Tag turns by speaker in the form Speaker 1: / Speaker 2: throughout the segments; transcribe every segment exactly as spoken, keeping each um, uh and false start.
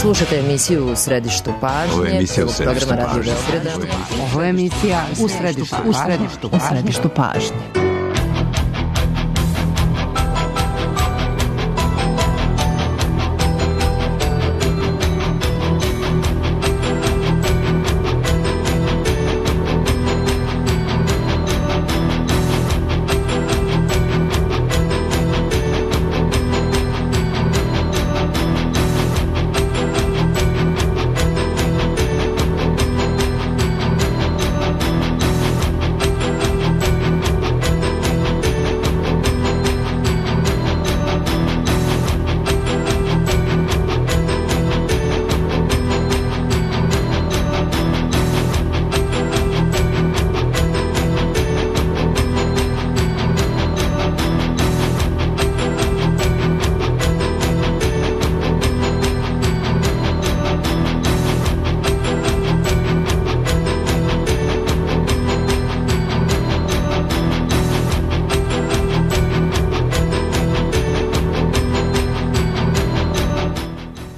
Speaker 1: Slušate emisiju U središtu pažnje.
Speaker 2: Ovo je emisija U središtu
Speaker 1: programa Radio
Speaker 2: pažnje.
Speaker 1: Beograda.
Speaker 3: Ovo je emisija U središtu pažnje. U središtu pažnje. U središtu pažnje.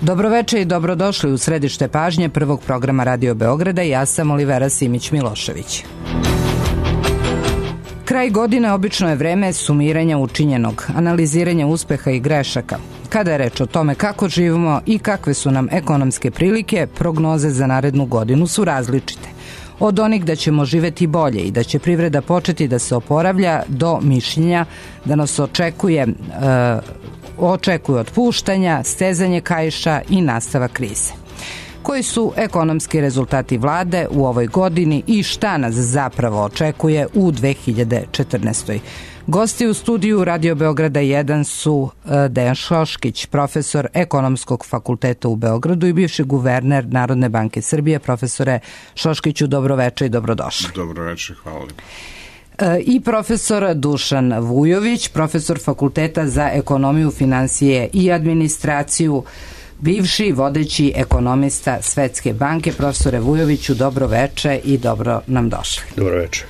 Speaker 3: Dobroveče i dobrodošli u središte pažnje prvog programa Radio Beograda. Ja sam Olivera Simić-Milošević. Kraj godine obično je vreme sumiranja učinjenog, analiziranja uspeha i grešaka. Kada je reč o tome kako živimo i kakve su nam ekonomske prilike, prognoze za narednu godinu su različite. Od onih da ćemo živeti bolje i da će privreda početi da se oporavlja do mišljenja da nas očekuje e, očekuju otpuštanja, stezanje kaiša i nastavak krize. Koji su ekonomski rezultati vlade u ovoj godini i šta nas zapravo očekuje u dve hiljade četrnaestoj. Gosti u studiju Radio Beograda jedan su Dejan Šoškić, profesor Ekonomskog fakulteta u Beogradu i bivši guverner Narodne banke Srbije. Profesore Šoškiću, dobroveče i dobrodošli.
Speaker 4: Dobroveče, hvala.
Speaker 1: I profesor Dušan Vujović, profesor Fakulteta za ekonomiju, finansije i administraciju, bivši vodeći ekonomista Svetske banke. Profesore Vujoviću, dobroveče i dobro nam došli.
Speaker 5: Dobroveče.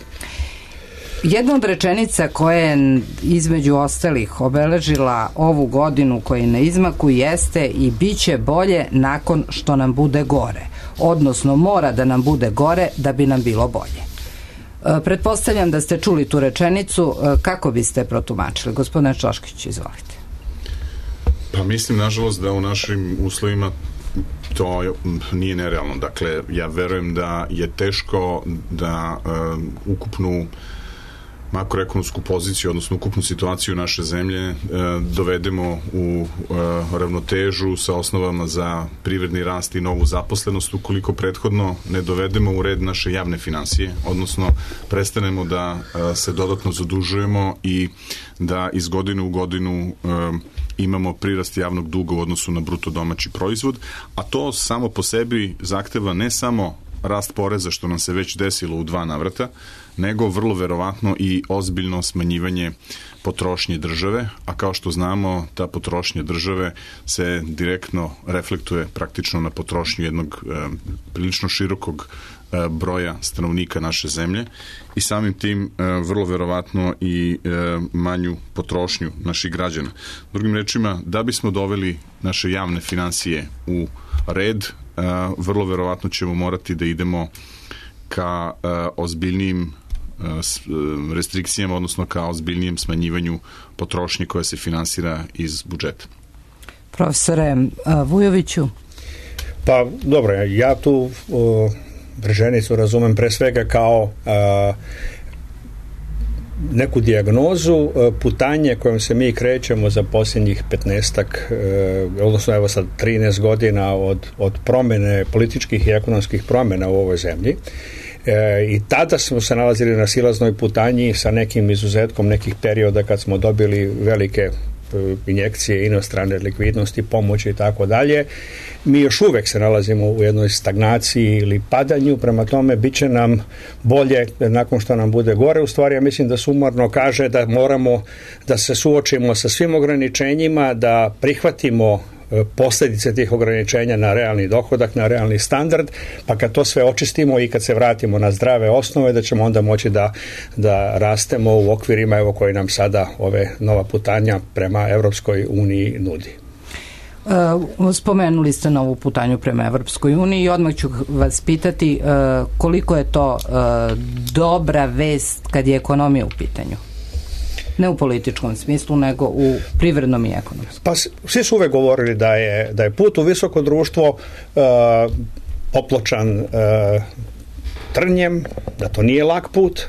Speaker 1: Jedna od rečenica koja je između ostalih obeležila ovu godinu koja je na izmaku jeste i bit će bolje nakon što nam bude gore. Odnosno mora da nam bude gore da bi nam bilo bolje. Pretpostavljam da ste čuli tu rečenicu, kako biste protumačili? Gospodine Šoškić, izvolite.
Speaker 4: Pa mislim, nažalost, da u našim uslovima to nije nerealno. Dakle, ja verujem da je teško da uh, ukupnu makroekonomsku poziciju, odnosno ukupnu situaciju naše zemlje e, dovedemo u e, ravnotežu sa osnovama za privredni rast i novu zaposlenost ukoliko prethodno ne dovedemo u red naše javne finansije, odnosno prestanemo da e, se dodatno zadužujemo i da iz godine u godinu e, imamo prirast javnog duga u odnosu na bruto domaći proizvod, a to samo po sebi zahteva ne samo rast poreza, što nam se već desilo u dva navrata, nego vrlo verovatno i ozbiljno smanjivanje potrošnje države, a kao što znamo, ta potrošnja države se direktno reflektuje praktično na potrošnju jednog e, prilično širokog e, broja stanovnika naše zemlje i samim tim e, vrlo verovatno i e, manju potrošnju naših građana. Drugim rečima, da bismo doveli naše javne finansije u red, Uh, vrlo verovatno ćemo morati da idemo ka uh, ozbiljnijim uh, restrikcijama, odnosno ka ozbiljnijem smanjivanju potrošnje koja se finansira iz budžeta.
Speaker 1: Profesore uh, Vujoviću?
Speaker 5: Pa dobro, ja tu uh, rečenicu razumem pre svega kao uh, neku dijagnozu putanje kojom se mi krećemo za posljednjih petnaestak, odnosno evo sad trinaest godina od, od promene, političkih i ekonomskih promjena u ovoj zemlji. E, i tada smo se nalazili na silaznoj putanji sa nekim izuzetkom nekih perioda kad smo dobili velike injekcije inostrane likvidnosti, pomoći i tako dalje. Mi još uvek se nalazimo u jednoj stagnaciji ili padanju, prema tome bit će nam bolje nakon što nam bude gore. U stvari, ja mislim da sumarno kaže da moramo da se suočimo sa svim ograničenjima, da prihvatimo posljedice tih ograničenja na realni dohodak, na realni standard, pa kad to sve očistimo i kad se vratimo na zdrave osnove, da ćemo onda moći da, da rastemo u okvirima evo koji nam sada ove nova putanja prema Evropskoj uniji nudi.
Speaker 1: Spomenuli ste novu putanju prema Evropskoj uniji i odmah ću vas pitati koliko je to dobra vest kad je ekonomija u pitanju. Ne u političkom smislu, nego u privrednom i ekonomskom.
Speaker 5: Pa svi su uvek govorili da je, da je put u visoko društvo uh, popločan uh, trnjem, da to nije lak put,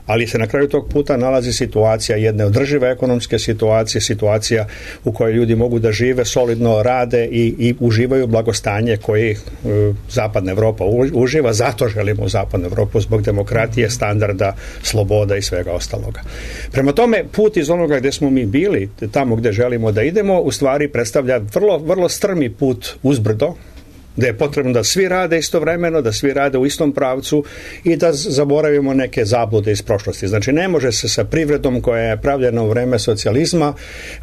Speaker 5: ali se na kraju tog puta nalazi situacija jedne održive ekonomske situacije, situacija u kojoj ljudi mogu da žive, solidno rade i, i uživaju blagostanje koji e, Zapadna Evropa uživa. Zato želimo Zapadnu Evropu zbog demokratije, standarda, sloboda i svega ostaloga. Prema tome, put iz onoga gde smo mi bili, tamo gde želimo da idemo, u stvari predstavlja vrlo, vrlo strmi put uzbrdo, da je potrebno da svi rade istovremeno, da svi rade u istom pravcu i da zaboravimo neke zablude iz prošlosti. Znači, ne može se sa privredom koja je pravljena u vreme socijalizma,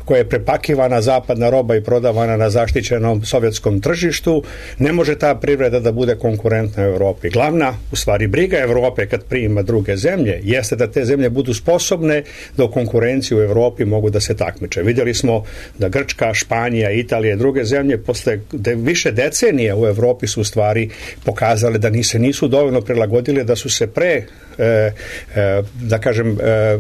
Speaker 5: koja je prepakivana zapadna roba i prodavana na zaštićenom sovjetskom tržištu, ne može ta privreda da bude konkurentna u Evropi. Glavna, u stvari, briga Evrope kad prima druge zemlje, jeste da te zemlje budu sposobne da u konkurenciji u Evropi mogu da se takmiče. Vidjeli smo da Grčka, Španija, Italija i druge zemlje posle de, više decenija u Evropi su u stvari pokazale da ni se nisu dovoljno prilagodile, da su se pre e, e, da kažem e,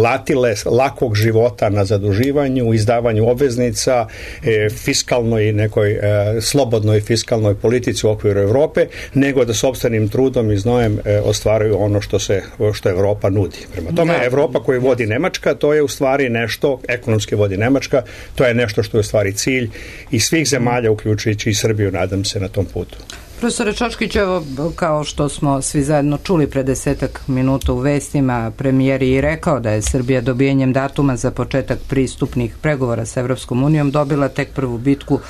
Speaker 5: latile lakog života na zaduživanju, izdavanju obveznica, e, fiskalnoj nekoj e, slobodnoj fiskalnoj politici u okviru Evrope, nego da sopstvenim trudom i znojem e, ostvaruju ono što se što Evropa nudi. Prema tome, Evropa koju vodi Nemačka, to je u stvari nešto, ekonomski vodi Nemačka, to je nešto što je u stvari cilj i svih zemalja, uključujući i Srbiju, nadam se, na tom putu.
Speaker 1: Profesore Čočkić, evo, kao što smo svi zajedno čuli pre desetak minuta u vestima, premijer je i rekao da je Srbija dobijanjem datuma za početak pristupnih pregovora sa Evropskom unijom dobila tek prvu bitku.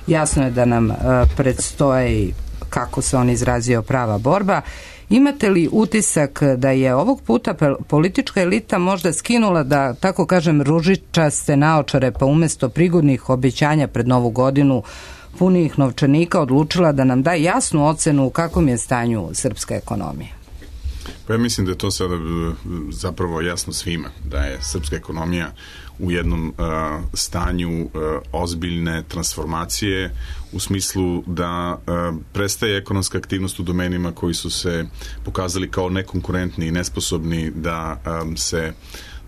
Speaker 1: Jasno je da nam uh, predstoji, kako se on izrazio, prava borba. Imate li utisak da je ovog puta politička elita možda skinula, da tako kažem, ružičaste naočare, pa umesto prigodnih obećanja pred Novu godinu punijih novčanika odlučila da nam da jasnu ocenu u kakvom je stanju srpska ekonomija?
Speaker 4: Pa ja mislim da je to sada zapravo jasno svima, da je srpska ekonomija u jednom uh, stanju uh, ozbiljne transformacije, u smislu da uh, prestaje ekonomska aktivnost u domenima koji su se pokazali kao nekonkurentni i nesposobni da um, se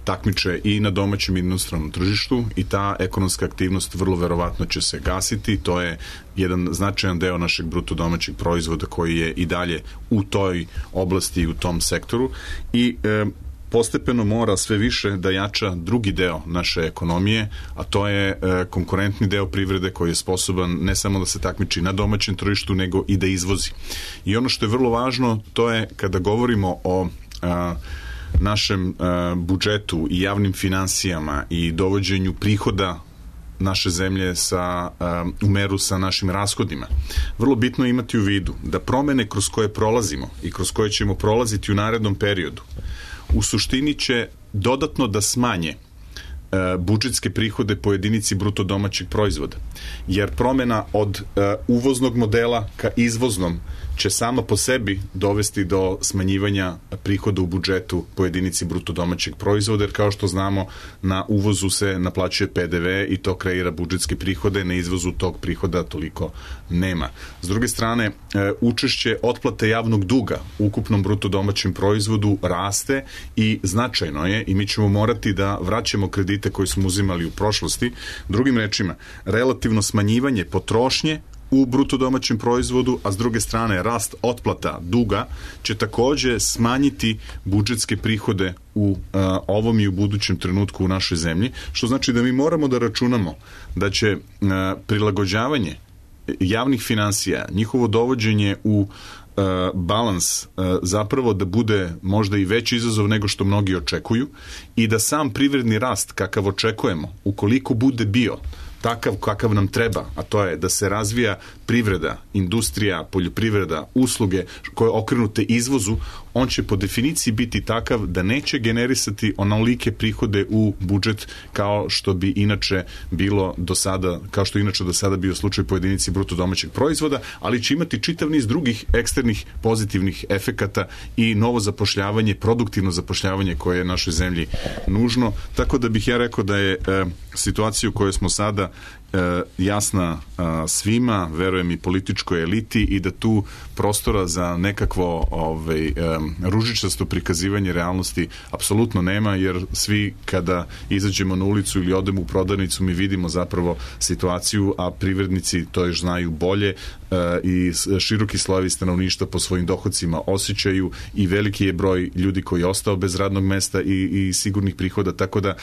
Speaker 4: takmiče i na domaćem i inostranom tržištu i ta ekonomska aktivnost vrlo verovatno će se gasiti. To je jedan značajan deo našeg bruto domaćeg proizvoda koji je i dalje u toj oblasti i u tom sektoru i e, postepeno mora sve više da jača drugi deo naše ekonomije, a to je e, konkurentni deo privrede koji je sposoban ne samo da se takmiči na domaćem tržištu, nego i da izvozi. I ono što je vrlo važno, to je kada govorimo o a, našem uh, budžetu i javnim finansijama i dovođenju prihoda naše zemlje sa, uh, u meru sa našim rashodima. Vrlo bitno je imati u vidu da promene kroz koje prolazimo i kroz koje ćemo prolaziti u narednom periodu u suštini će dodatno da smanje uh, budžetske prihode po jedinici bruto domaćeg proizvoda. Jer promena od uh, uvoznog modela ka izvoznom će sama po sebi dovesti do smanjivanja prihoda u budžetu po jedinici bruto domaćeg proizvoda, jer kao što znamo na uvozu se naplaćuje P D V i to kreira budžetske prihode, na izvozu tog prihoda toliko nema. S druge strane, učešće otplate javnog duga u ukupnom bruto domaćem proizvodu raste i značajno je i mi ćemo morati da vraćamo kredite koje smo uzimali u prošlosti. Drugim rečima, relativno smanjivanje potrošnje u bruto domaćem proizvodu, a s druge strane rast otplata duga će takođe smanjiti budžetske prihode u uh, ovom i u budućem trenutku u našoj zemlji, što znači da mi moramo da računamo da će uh, prilagođavanje javnih finansija, njihovo dovođenje u uh, balans uh, zapravo da bude možda i veći izazov nego što mnogi očekuju i da sam privredni rast kakav očekujemo, ukoliko bude bio takav kakav nam treba, a to je da se razvija privreda, industrija, poljoprivreda, usluge koje okrenute izvozu, on će po definiciji biti takav da neće generisati onolike prihode u budžet kao što bi inače bilo do sada, kao što inače do sada bio slučaj po jedinici bruto domaćeg proizvoda, ali će imati čitav niz drugih eksternih pozitivnih efekata i novo zapošljavanje, produktivno zapošljavanje koje je našoj zemlji nužno, tako da bih ja rekao da je e, situacija u kojoj smo sada jasna svima, verujem i političkoj eliti, i da tu prostora za nekakvo ovaj, ružičasto prikazivanje realnosti apsolutno nema, jer svi kada izađemo na ulicu ili odemo u prodavnicu mi vidimo zapravo situaciju, a privrednici to još znaju bolje i široki slojevi stanovništva po svojim dohodcima osjećaju, i veliki je broj ljudi koji je ostao bez radnog mesta i, i sigurnih prihoda, tako da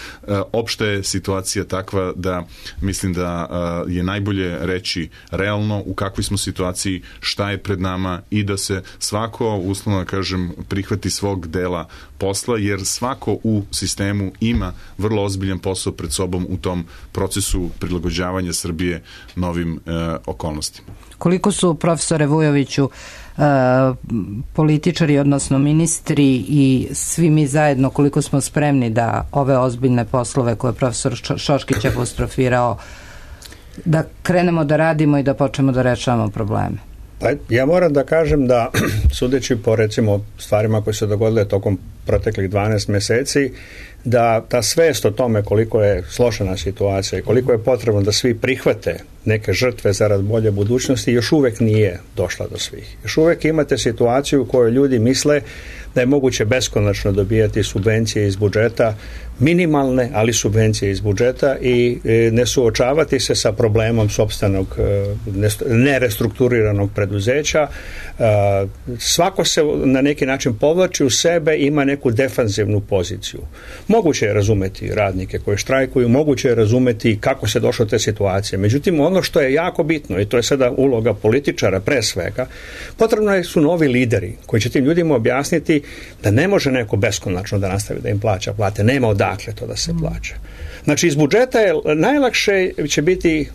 Speaker 4: opšta je situacija takva da mislim da je najbolje reći realno u kakvoj smo situaciji, šta je pred nama, i da se svako, uslovno kažem, prihvati svog dela posla, jer svako u sistemu ima vrlo ozbiljan posao pred sobom u tom procesu prilagođavanja Srbije novim e, okolnostima.
Speaker 1: Koliko su, profesore Vujoviću, e, političari, odnosno ministri i svi mi zajedno, koliko smo spremni da ove ozbiljne poslove koje je profesor Šoškić apostrofirao, da krenemo da radimo i da počnemo da rešavamo probleme?
Speaker 5: Pa, ja moram da kažem da, sudeći po recimo stvarima koje se dogodile tokom proteklih dvanaest meseci, da ta svest o tome koliko je složena situacija i koliko je potrebno da svi prihvate neke žrtve zarad bolje budućnosti još uvek nije došla do svih. Još uvek imate situaciju u kojoj ljudi misle da je moguće beskonačno dobijati subvencije iz budžeta, minimalne, ali subvencije iz budžeta, i ne suočavati se sa problemom sopstvenog nerestrukturiranog preduzeća. Svako se na neki način povlači u sebe, ima neku defanzivnu poziciju. Moguće je razumeti radnike koji štrajkuju, moguće je razumeti kako se došlo do te situacije. Međutim, ono što je jako bitno, i to je sada uloga političara pre svega, potrebno su novi lideri koji će tim ljudima objasniti da ne može neko beskonačno da nastavi da im plaća plate. Nema odakle to da se plaća. Znači, iz budžeta je najlakše će biti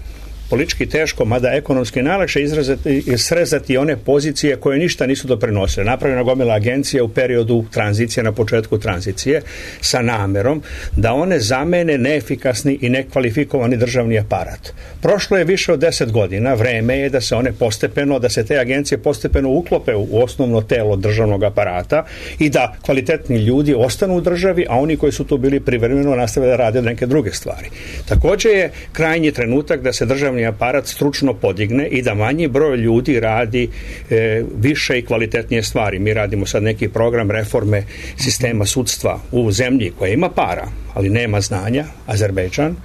Speaker 5: politički teško, mada ekonomski najlakše izrazati i srezati one pozicije koje ništa nisu doprinosile. Napravljena gomila agencija u periodu tranzicije, na početku tranzicije, sa namerom da one zamene neefikasni i nekvalifikovani državni aparat. Prošlo je više od deset godina, vreme je da se one postepeno, da se te agencije postepeno uklope u osnovno telo državnog aparata i da kvalitetni ljudi ostanu u državi, a oni koji su tu bili privremeno nastave da rade neke druge stvari. Također je krajnji trenutak da se državni aparat stručno podigne i da manji broj ljudi radi e, više i kvalitetnije stvari. Mi radimo sad neki program reforme sistema sudstva u zemlji koja ima para, ali nema znanja, Azerbejdžan.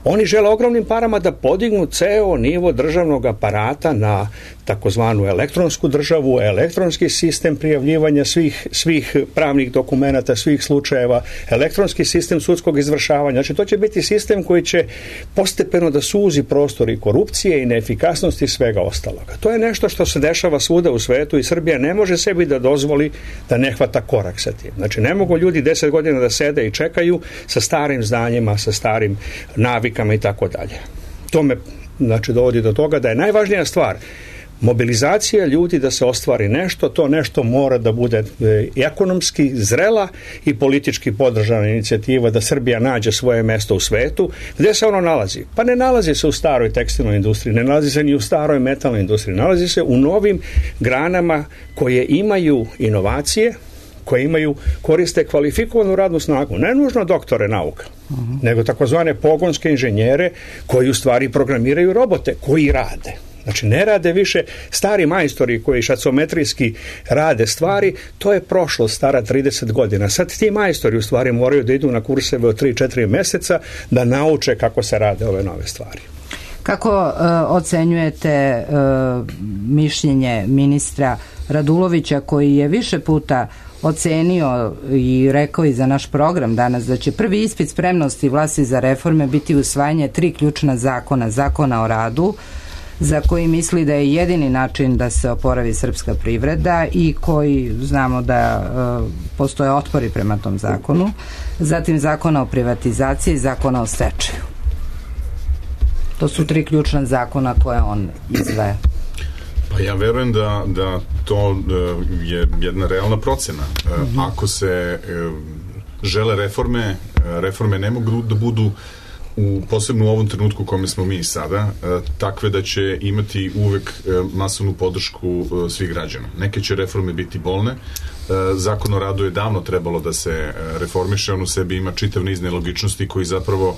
Speaker 5: Oni žele ogromnim parama da podignu ceo nivo državnog aparata na takozvanu elektronsku državu, elektronski sistem prijavljivanja svih, svih pravnih dokumenata, svih slučajeva, elektronski sistem sudskog izvršavanja. Znači, to će biti sistem koji će postepeno da suzi prostor i korupcije i neefikasnosti i svega ostaloga. To je nešto što se dešava svuda u svetu i Srbija ne može sebi da dozvoli da ne hvata korak sa tim. Znači, ne mogu ljudi deset godina da sede i čekaju sa starim znanjima, sa starim navikama i tako dalje. To me, znači, dovodi do toga da je najvažnija stvar mobilizacija ljudi da se ostvari nešto, to nešto mora da bude e, ekonomski zrela i politički podržana inicijativa da Srbija nađe svoje mesto u svetu. Gde se ono nalazi? Pa ne nalazi se u staroj tekstilnoj industriji, ne nalazi se ni u staroj metalnoj industriji, nalazi se u novim granama koje imaju inovacije, koje imaju, koriste kvalifikovanu radnu snagu, ne nužno doktore nauka, uh-huh. nego takozvane pogonske inženjere koji u stvari programiraju robote, koji rade. Znači, ne rade više stari majstori koji šacometrijski rade stvari, to je prošlo stara trideset godina. Sad ti majstori u stvari moraju da idu na kurseve od tri četiri meseca da nauče kako se rade ove nove stvari.
Speaker 1: Kako uh, ocenjujete uh, mišljenje ministra Radulovića, koji je više puta ocenio i rekao i za naš program danas da će prvi ispit spremnosti vlasti za reforme biti usvajanje tri ključna zakona, zakona o radu, za koji misli da je jedini način da se oporavi srpska privreda i koji znamo da uh, postoje otpori prema tom zakonu, zatim zakona o privatizaciji i zakona o stečaju. To su tri ključna zakona koje on izdvaja.
Speaker 4: Pa ja verujem da, da to je jedna realna procena. Mm-hmm. Ako se žele reforme, reforme ne mogu da budu u, posebno u ovom trenutku u kome smo mi sada, takve da će imati uvek masovnu podršku svih građana. Neke će reforme biti bolne. Zakon o radu je davno trebalo da se reformiše, on u sebi ima čitav niz nelogičnosti koji zapravo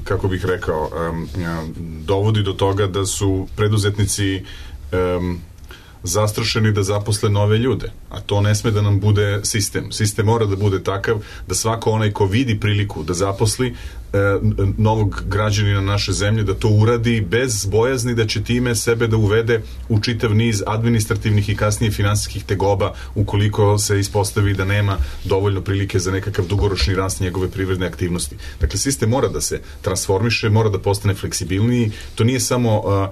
Speaker 4: kako bih rekao, dovodi do toga da su preduzetnici zastrašeni da zaposle nove ljude, a to ne sme da nam bude sistem. Sistem mora da bude takav da svako onaj ko vidi priliku da zaposli e, novog građanina naše zemlje, da to uradi bez bojazni da će time sebe da uvede u čitav niz administrativnih i kasnije finansijskih tegoba ukoliko se ispostavi da nema dovoljno prilike za nekakav dugoročni rast njegove privredne aktivnosti. Dakle, sistem mora da se transformiše, mora da postane fleksibilniji. To nije samo uh, uh,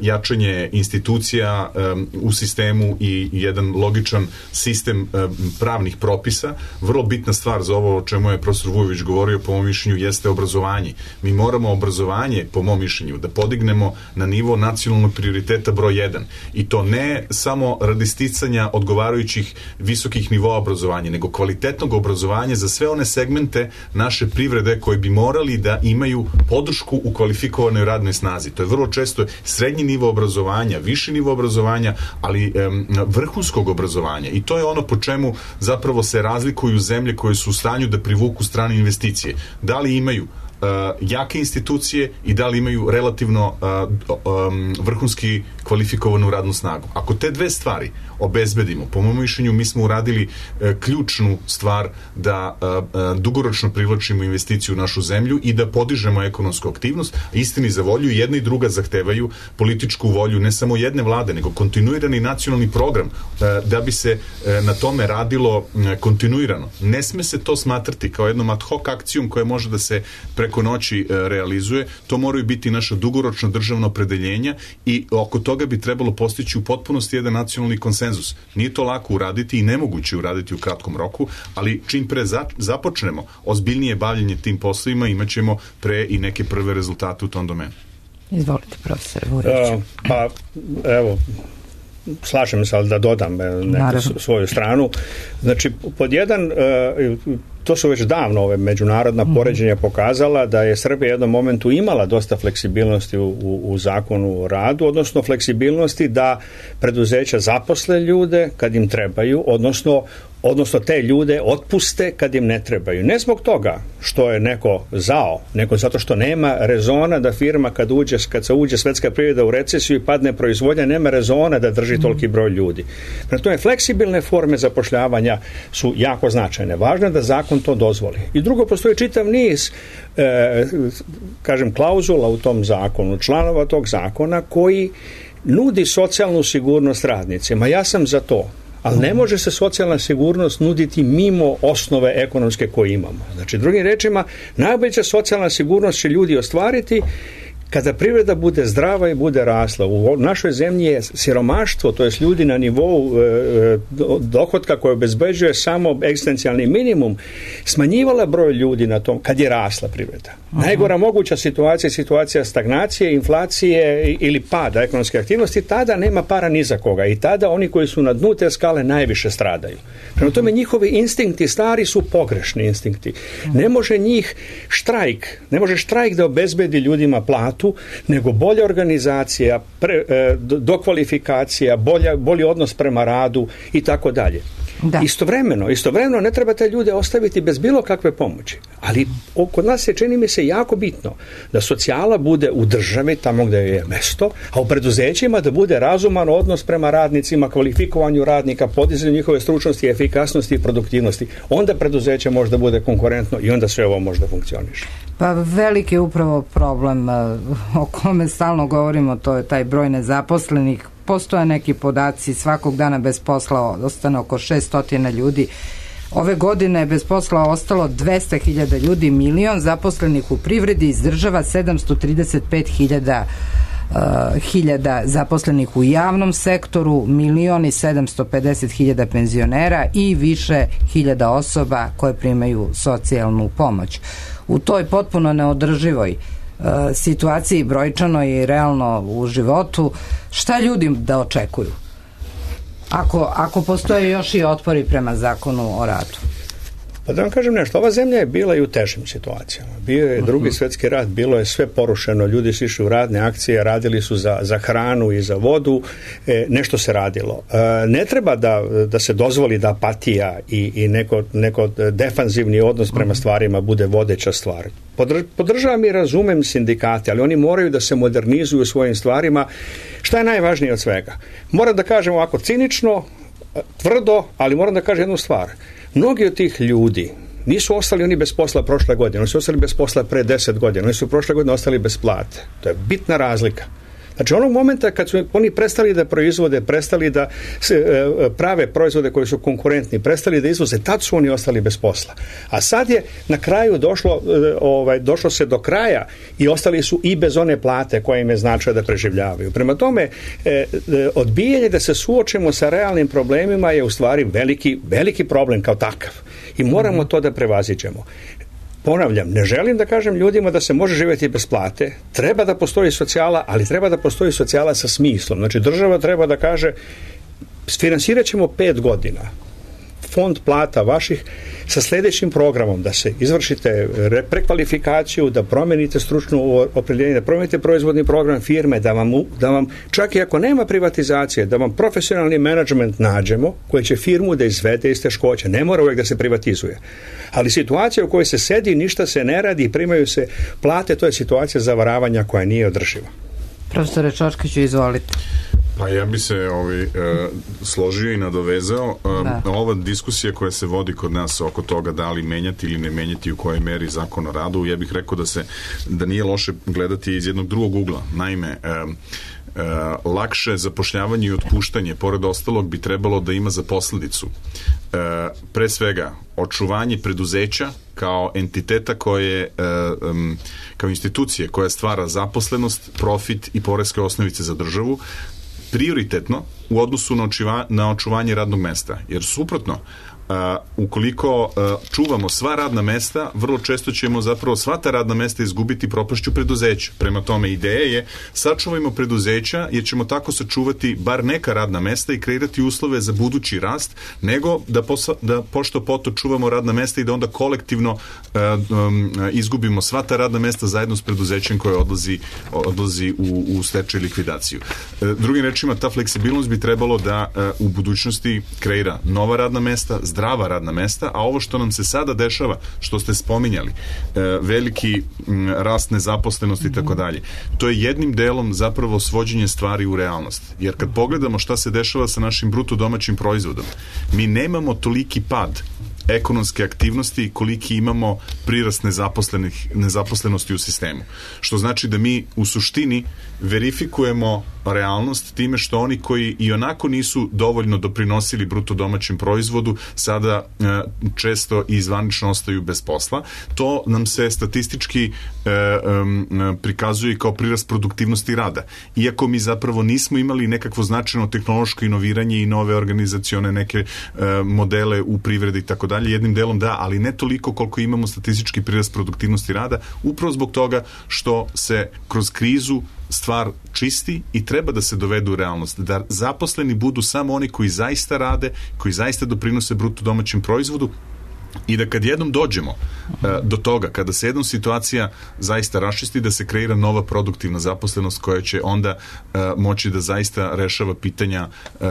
Speaker 4: jačanje institucija um, u sistemu i jedan logičan sistem um, pravnih propisa. Vrlo bitna stvar za ovo o čemu je profesor Vujović govorio, po mom mišljenju, jeste obrazovanje. Mi moramo obrazovanje, po mom mišljenju, da podignemo na nivo nacionalnog prioriteta broj jedan. I to ne samo radi sticanja odgovarajućih visokih nivoa obrazovanja, nego kvalitetnog obrazovanja za sve one segmente naše privrede koji bi morali da imaju podršku u kvalifikovanoj radnoj snazi. To je vrlo često srednji nivo obrazovanja, viši nivo obrazovanja, ali um, vrhunskog obrazovanja. I to je ono po čemu zapravo se razlikuju zemlje koje su u stanju da privuku strane investicije. Da li imaju Uh, jake institucije i da li imaju relativno uh, um, vrhunski kvalifikovanu radnu snagu. Ako te dve stvari obezbedimo, po mom mišljenju mi smo uradili uh, ključnu stvar da uh, uh, dugoročno privlačimo investiciju u našu zemlju i da podižemo ekonomsku aktivnost. Istini za volju, jedna i druga zahtevaju političku volju ne samo jedne vlade, nego kontinuirani nacionalni program uh, da bi se uh, na tome radilo uh, kontinuirano. Ne sme se to smatrati kao jednom ad hoc akcijom koja može da se pre preko noći realizuje, to moraju biti naša dugoročna državna opredeljenja i oko toga bi trebalo postići u potpunosti jedan nacionalni konsenzus. Nije to lako uraditi i nemoguće uraditi u kratkom roku, ali čim pre započnemo ozbiljnije bavljenje tim poslovima, imat ćemo pre i neke prve rezultate u tom domenu.
Speaker 1: Izvolite, profesor Vujović.
Speaker 5: Uh, pa, evo, slažem se, ali da dodam neku svoju stranu. Znači, pod jedan, to su već davno ove međunarodna poređenja pokazala da je Srbija u jednom momentu imala dosta fleksibilnosti u, u, u zakonu o radu, odnosno fleksibilnosti da preduzeća zaposle ljude kad im trebaju, odnosno odnosno te ljude otpuste kad im ne trebaju. Ne zbog toga što je neko zao, nego zato što nema rezona da firma kad uđe, kad se uđe svetska privreda u recesiju i padne proizvodnja, nema rezona da drži toliki broj ljudi. Prema tome, fleksibilne forme zapošljavanja su jako značajne. Važno je da zakon to dozvoli. I drugo, postoji čitav niz e, kažem, klauzula u tom zakonu, članova tog zakona koji nudi socijalnu sigurnost radnicima. Ja sam za to. Ali ne može se socijalna sigurnost nuditi mimo osnove ekonomske koje imamo. Znači, drugim rečima, najbolja socijalna sigurnost će ljudi ostvariti kada privreda bude zdrava i bude rasla. U našoj zemlji je siromaštvo, to je ljudi na nivou e, dohotka koje obezbeđuje samo egzistencijalni minimum, smanjivala broj ljudi na tom kad je rasla privreda. Aha. Najgora moguća situacija je situacija stagnacije, inflacije ili pada ekonomske aktivnosti, tada nema para ni za koga i tada oni koji su na dnu te skale najviše stradaju. Prema tome, njihovi instinkti stari su pogrešni instinkti. Ne može njih štrajk, ne može štrajk da obezbedi ljudima platu, nego bolja organizacija, pre, e, dokvalifikacija, bolja, bolji odnos prema radu i tako dalje. Da. Istovremeno, istovremeno ne treba te ljude ostaviti bez bilo kakve pomoći. Ali kod nas je, čini mi se, jako bitno da socijala bude u državi tamo gde je mesto, a u preduzećima da bude razuman odnos prema radnicima, kvalifikovanju radnika, podizanju njihove stručnosti, efikasnosti i produktivnosti. Onda preduzeće može da bude konkurentno i onda sve ovo može da funkcioniše.
Speaker 1: Pa veliki je upravo problem o kome stalno govorimo, to je taj broj nezaposlenih. Postoje neki podaci, svakog dana bez posla ostane oko šesto ljudi. Ove godine je bez posla ostalo dvesta hiljada ljudi, milion zaposlenih u privredi, izdržava sedamsto trideset pet hiljada uh, hiljada zaposlenih u javnom sektoru, milion i sedamsto pedeset hiljada penzionera i više hiljada osoba koje primaju socijalnu pomoć. U toj potpuno neodrživoj uh, situaciji, brojčano i realno u životu, šta ljudi da očekuju? Ako, ako postoje još i otpori prema zakonu o radu?
Speaker 5: Pa da vam kažem nešto, ova zemlja je bila i u težim situacijama. Bio je drugi svjetski rat, bilo je sve porušeno, ljudi su išli u radne akcije, radili su za, za hranu i za vodu, e, nešto se radilo. E, ne treba da, da se dozvoli da apatija i, i neko, neko defanzivni odnos prema stvarima bude vodeća stvar. Podrž, podržavam i razumem sindikate, ali oni moraju da se modernizuju svojim stvarima. Šta je najvažnije od svega? Moram da kažem ovako cinično, tvrdo, ali moram da kažem jednu stvar. Mnogi od tih ljudi nisu ostali oni bez posla prošle godine, oni su ostali bez posla pre deset godina, oni su prošle godine ostali bez plate. To je bitna razlika. Znači, onog momenta kad su oni prestali da proizvode, prestali da se, e, prave proizvode koji su konkurentni, prestali da izvoze, tad su oni ostali bez posla. A sad je na kraju došlo, e, ovaj, došlo se do kraja i ostali su i bez one plate koja im je značila da preživljavaju. Prema tome, e, e, odbijanje da se suočimo sa realnim problemima je u stvari veliki, veliki problem kao takav. I moramo to da prevaziđemo. Ponavljam, ne želim da kažem ljudima da se može živjeti bez plate, treba da postoji socijala, ali treba da postoji socijala sa smislom. Znači, država treba da kaže, finansirat ćemo pet godina fond plata vaših sa sljedećim programom, da se izvršite prekvalifikaciju, da promenite stručno opredeljenje, da promenite proizvodni program firme, da vam, da vam, čak i ako nema privatizacije, da vam profesionalni menadžment nađemo koji će firmu da izvede iz teškoća. Ne mora uvijek da se privatizuje. Ali situacija u kojoj se sedi, ništa se ne radi i primaju se plate, to je situacija zavaravanja koja nije održiva.
Speaker 1: Profesore Čočkiću, izvolite.
Speaker 4: Pa ja bi se ovaj, e, složio i nadovezao. E, ova diskusija koja se vodi kod nas oko toga da li menjati ili ne menjati u kojoj meri zakon o radu, ja bih rekao da se da nije loše gledati iz jednog drugog ugla. Naime, e, e, lakše zapošljavanje i otpuštanje, pored ostalog, bi trebalo da ima za posledicu e, pre svega očuvanje preduzeća kao entiteta koje, e, um, kao institucije koja stvara zaposlenost, profit i poreske osnovice za državu, prioritetno u odnosu na, očiva, na očuvanje radnog mesta. Jer suprotno, Uh, ukoliko uh, čuvamo sva radna mesta, vrlo često ćemo zapravo sva ta radna mesta izgubiti propašću preduzeća. Prema tome, ideja je sačuvajmo preduzeća jer ćemo tako sačuvati bar neka radna mesta i kreirati uslove za budući rast, nego da, posa, da pošto poto čuvamo radna mesta i da onda kolektivno uh, um, izgubimo sva ta radna mesta zajedno s preduzećem koje odlazi, odlazi u, u stečaj likvidaciju. Uh, drugim rečima, ta fleksibilnost bi trebalo da uh, u budućnosti kreira nova radna mesta, zdrava radna mesta, a ovo što nam se sada dešava, što ste spominjali, e, veliki m, rast nezaposlenosti i tako dalje, to je jednim delom zapravo svođenje stvari u realnost. Jer kad pogledamo šta se dešava sa našim bruto domaćim proizvodom, mi nemamo toliki pad ekonomske aktivnosti koliki imamo prirast nezaposlenih, nezaposlenosti u sistemu. Što znači da mi u suštini verifikujemo realnost time što oni koji i onako nisu dovoljno doprinosili bruto domaćem proizvodu sada e, često i zvanično ostaju bez posla. To nam se statistički e, e, prikazuje kao prirast produktivnosti rada. Iako mi zapravo nismo imali nekakvo značajno tehnološko inoviranje i nove organizacione neke e, modele u privredi i tako dalje, jednim delom da, ali ne toliko koliko imamo statistički prirast produktivnosti rada, upravo zbog toga što se kroz krizu stvar čisti i treba da se dovedu u realnost. Da zaposleni budu samo oni koji zaista rade, koji zaista doprinose bruto domaćem proizvodu i da kad jednom dođemo uh, do toga, kada se jednom situacija zaista raščisti, da se kreira nova produktivna zaposlenost koja će onda uh, moći da zaista rešava pitanja uh,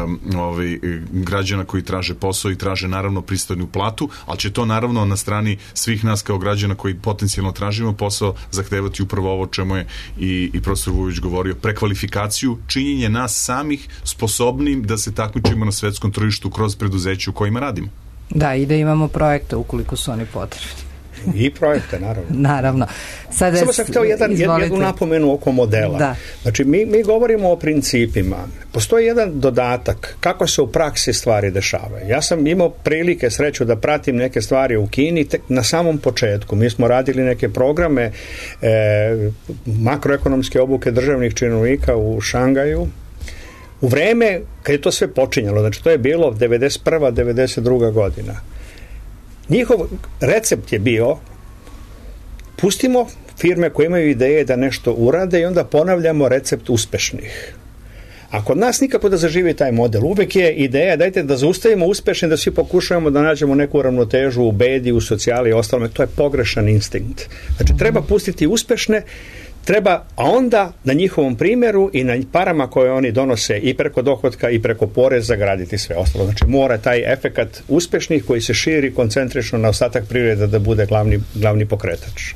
Speaker 4: um, ovaj, građana koji traže posao i traže naravno pristojnu platu, ali će to naravno na strani svih nas kao građana koji potencijalno tražimo posao zahtevati upravo ovo čemu je i, i profesor Vujović govorio, prekvalifikaciju, činjenje nas samih sposobnim da se takmičimo na svetskom tržištu kroz preduzeće u kojima radimo.
Speaker 1: Da, i da imamo projekte ukoliko su oni potrebni.
Speaker 5: I projekte, naravno.
Speaker 1: Naravno. Sada
Speaker 5: Samo sam htio jedan, jednu napomenu oko modela.
Speaker 1: Da.
Speaker 5: Znači, mi, mi govorimo o principima. Postoji jedan dodatak kako se u praksi stvari dešavaju. Ja sam imao prilike, sreću, da pratim neke stvari u Kini tek na samom početku. Mi smo radili neke programe e, makroekonomske obuke državnih činovnika u Šangaju. U vreme kad je to sve počinjalo, znači to je bilo devedeset prva devedeset druga godina. Njihov recept je bio pustimo firme koje imaju ideje da nešto urade i onda ponavljamo recept uspešnih. A kod nas nikako da zaživi taj model. Uvek je ideja, dajte da zaustavimo uspešne, da svi pokušavamo da nađemo neku ravnotežu u bedi, u socijali i ostalome. To je pogrešan instinkt. Znači, treba pustiti uspešne, treba, a onda na njihovom primjeru i na parama koje oni donose i preko dohotka i preko poreza graditi sve ostalo. Znači, mora taj efekat uspešnih koji se širi koncentrično na ostatak privrede da bude glavni, glavni pokretač.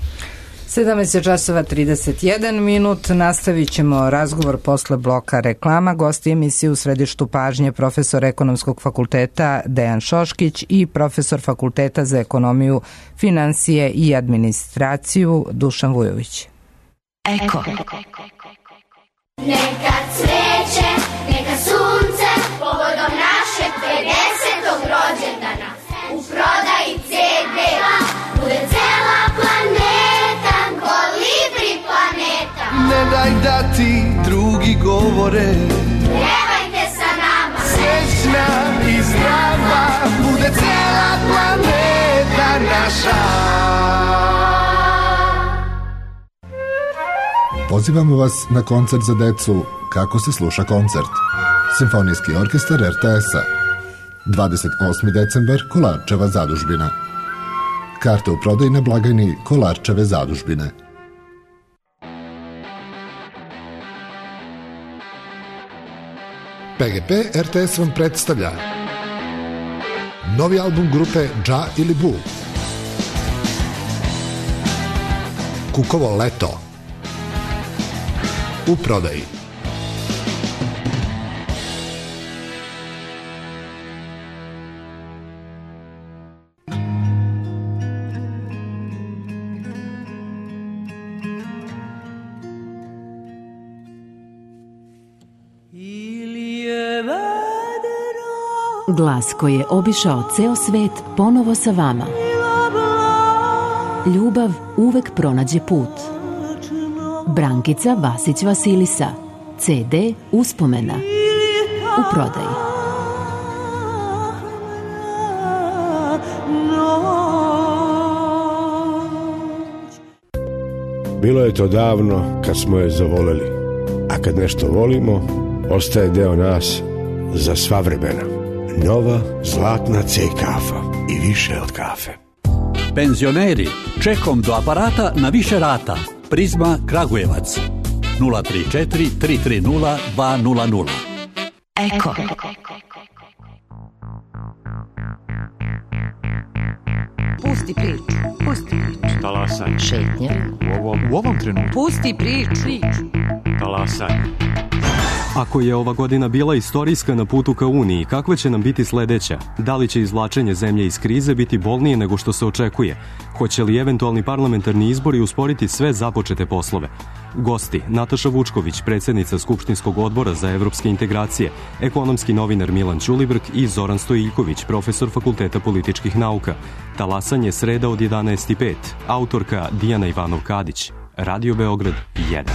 Speaker 1: sedamnaest časova trideset jedan minut, nastavit ćemo razgovor posle bloka reklama. Gosti emisije u središtu pažnje profesor Ekonomskog fakulteta Dejan Šoškić i profesor Fakulteta za ekonomiju, finansije i administraciju Dušan Vujović.
Speaker 2: Eko. Neka cveće, neka sunce, povodom našeg pedesetog rođendana, u prodaji ce de, bude cela planeta, kolibri planeta.
Speaker 6: Ne daj da ti drugi govore,
Speaker 2: pjevajte sa nama,
Speaker 6: srećna i zdrava, bude cela planeta naša.
Speaker 7: Pozivamo vas na koncert za decu Kako se sluša koncert. Simfonijski orkestar er te es-a. dvadeset osmi decembar, Kolarčeva zadužbina. Karte u prodaji na blagajni Kolarčeve zadužbine. pe ge pe er te es vam predstavlja novi album grupe Dža ili Bu. Kukovo leto. U prodaji.
Speaker 8: Glas koji je obišao ceo svet ponovo sa vama. Ljubav uvek pronađe put. Brankica Vasić Vasilisa. ce de Uspomena. U prodaji.
Speaker 9: Bilo je to davno kad smo je zavoleli, a kad nešto volimo, ostaje deo nas za sva vremena. Nova zlatna C kafa i više od kafe.
Speaker 10: Penzioneri, čekom do aparata na više rata. Prizma Kragujevac nula tri četiri tri tri nula dva nula nula.
Speaker 2: Eko.
Speaker 11: Pusti priču, pusti priču.
Speaker 12: Talasanje.
Speaker 11: Šetnja.
Speaker 12: U ovom, u ovom trenutku.
Speaker 11: Pusti priču.
Speaker 12: Talasanje.
Speaker 13: Ako je ova godina bila istorijska na putu ka Uniji, kakva će nam biti sledeća? Da li će izvlačenje zemlje iz krize biti bolnije nego što se očekuje? Hoće li eventualni parlamentarni izbori usporiti sve započete poslove? Gosti: Nataša Vučković, predsjednica Skupštinskog odbora za evropske integracije, ekonomski novinar Milan Ćulibrk i Zoran Stojiljković, profesor Fakulteta političkih nauka. Talasanje sreda od jedanaest i pet. Autorka Dijana Ivanov-Kadić. Radio Beograd jedan.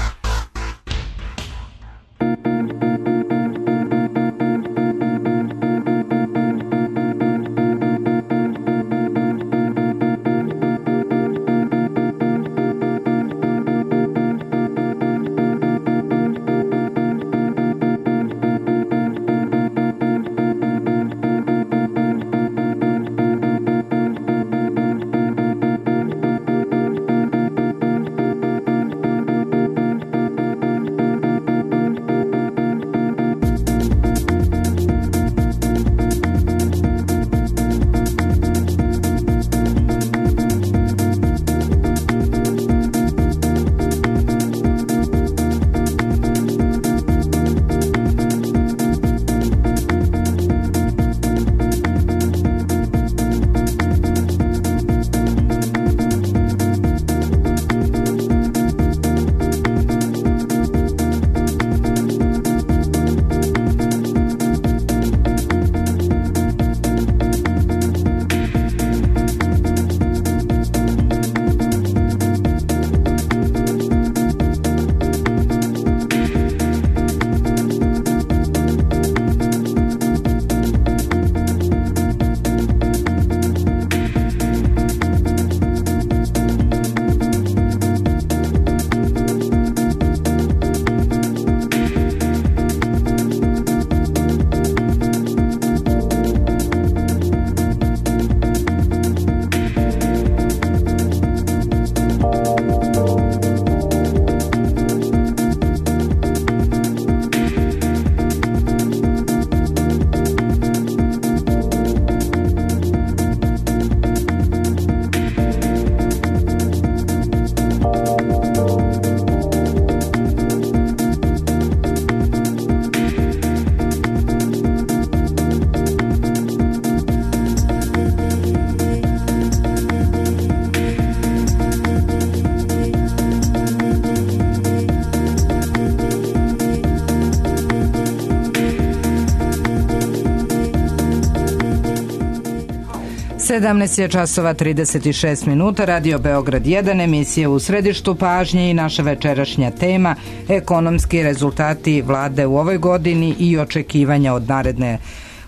Speaker 1: sedamnaest je časova trideset šest minuta, Radio Beograd jedan, emisija u središtu pažnje i naša večerašnja tema ekonomski rezultati vlade u ovoj godini i očekivanja od naredne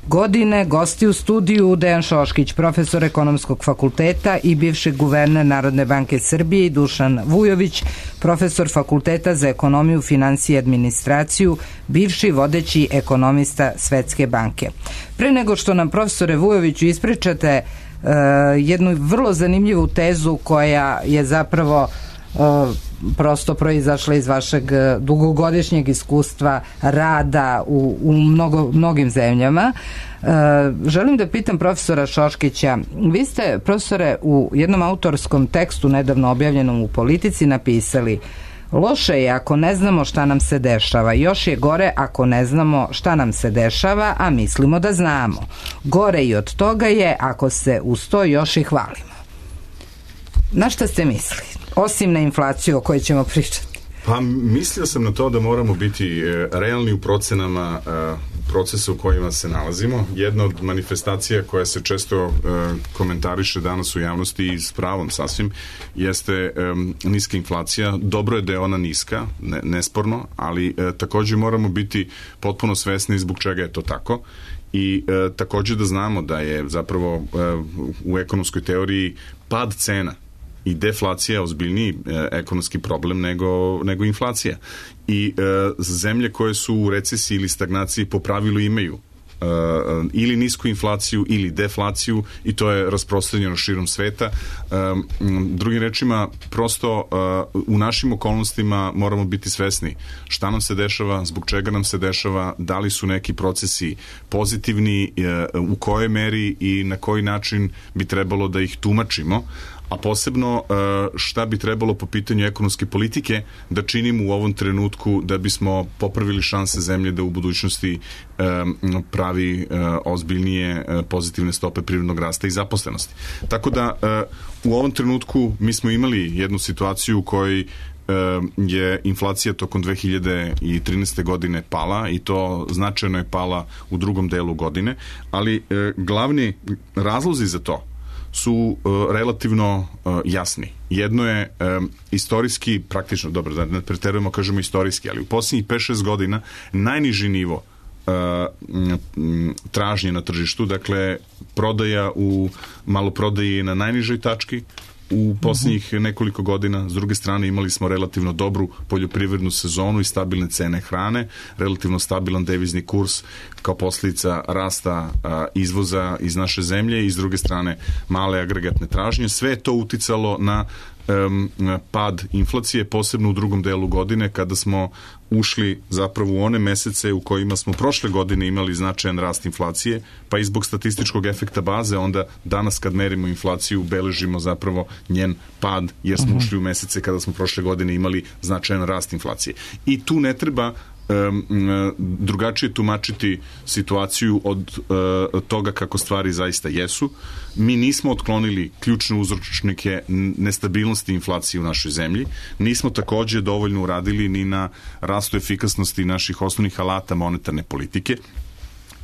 Speaker 1: godine. Gosti u studiju Dejan Šoškić, profesor ekonomskog fakulteta i bivši guverner Narodne banke Srbije, i Dušan Vujović, profesor fakulteta za ekonomiju, finansije i administraciju, bivši vodeći ekonomista Svetske banke. Pre nego što nam, profesore Vujoviću, ispričate uh, jednu vrlo zanimljivu tezu koja je zapravo uh, prosto proizašla iz vašeg dugogodišnjeg iskustva rada u, u mnogo, mnogim zemljama. E, želim da pitam profesora Šoškića, vi ste, profesore, u jednom autorskom tekstu nedavno objavljenom u Politici napisali: loše je ako ne znamo šta nam se dešava, još je gore ako ne znamo šta nam se dešava, a mislimo da znamo. Gore i od toga je ako se uz to još i hvalimo. Na šta ste mislili? Osim na inflaciju o kojoj ćemo pričati.
Speaker 4: Pa mislio sam na to da moramo biti realni u procenama procesa u kojima se nalazimo. Jedna od manifestacija koja se često komentariše danas u javnosti i s pravom sasvim jeste niska inflacija. Dobro je da je ona niska, ne, nesporno, ali također moramo biti potpuno svesni zbog čega je to tako. I e, također da znamo da je zapravo e, u ekonomskoj teoriji pad cena i deflacija ozbiljniji e, ekonomski problem nego, nego inflacija. I e, zemlje koje su u recesiji ili stagnaciji po pravilu imaju Uh, ili nisku inflaciju ili deflaciju, i to je rasprostranjeno širom sveta. Um, drugim rečima, prosto uh, u našim okolnostima moramo biti svesni šta nam se dešava, zbog čega nam se dešava, da li su neki procesi pozitivni, uh, u kojoj meri i na koji način bi trebalo da ih tumačimo, a posebno šta bi trebalo po pitanju ekonomske politike da činimo u ovom trenutku da bismo popravili šanse zemlje da u budućnosti pravi ozbiljnije pozitivne stope privrednog rasta i zaposlenosti. Tako da u ovom trenutku mi smo imali jednu situaciju u kojoj je inflacija tokom dve hiljade trinaeste. godine pala, i to značajno je pala u drugom delu godine, ali glavni razlozi za to su uh, relativno uh, jasni. Jedno je um, istorijski, praktično, dobro, da ne preterujemo, kažemo istorijski, ali u posljednjih pet šest godina najniži nivo uh, m, tražnje na tržištu, dakle prodaja u maloprodaji je na najnižoj tački u posljednjih nekoliko godina. S druge strane, imali smo relativno dobru poljoprivrednu sezonu i stabilne cene hrane, relativno stabilan devizni kurs kao posljedica rasta a, izvoza iz naše zemlje, i s druge strane male agregatne tražnje. Sve je to uticalo na um, pad inflacije, posebno u drugom delu godine, kada smo ušli zapravo u one mesece u kojima smo prošle godine imali značajan rast inflacije, pa i zbog statističkog efekta baze, onda danas kad merimo inflaciju beležimo zapravo njen pad, jer smo ušli u mesece kada smo prošle godine imali značajan rast inflacije. I tu ne treba um, drugačije tumačiti situaciju od uh, toga kako stvari zaista jesu. Mi nismo otklonili ključne uzročnike nestabilnosti inflacije u našoj zemlji. Nismo također dovoljno uradili ni na rastu efikasnosti naših osnovnih alata monetarne politike.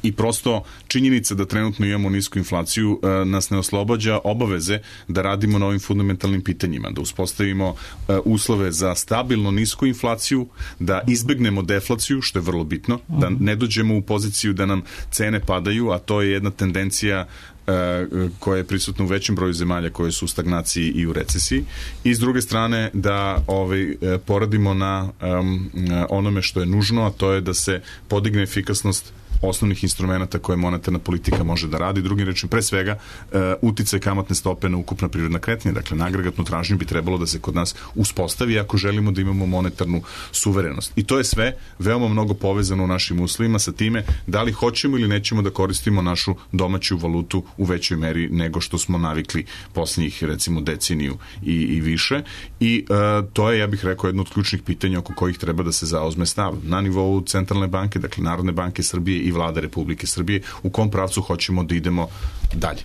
Speaker 4: I prosto činjenica da trenutno imamo nisku inflaciju e, nas ne oslobađa obaveze da radimo na ovim fundamentalnim pitanjima, da uspostavimo e, uslove za stabilno nisku inflaciju, da izbegnemo deflaciju, što je vrlo bitno, da ne dođemo u poziciju da nam cene padaju, a to je jedna tendencija koja je prisutna u većem broju zemalja koje su u stagnaciji i u recesiji, i s druge strane da ovaj, poradimo na um, onome što je nužno, a to je da se podigne efikasnost osnovnih instrumenta koje monetarna politika može da radi. Drugim rečima, pre svega, uh, uticaj kamatne stope na ukupna privredna kretanja. Dakle, na agregatnu tražnju bi trebalo da se kod nas uspostavi ako želimo da imamo monetarnu suverenost. I to je sve veoma mnogo povezano u našim uslovima sa time da li hoćemo ili nećemo da koristimo našu domaću valutu u većoj meri nego što smo navikli posljednjih, recimo, deceniju i, i više. I uh, to je, ja bih rekao, jedno od ključnih pitanja oko kojih treba da se zauzme stav na nivou Centralne banke, dakle Narodne banke Srbije i vlada Republike Srbije, u kom pravcu hoćemo da idemo dalje.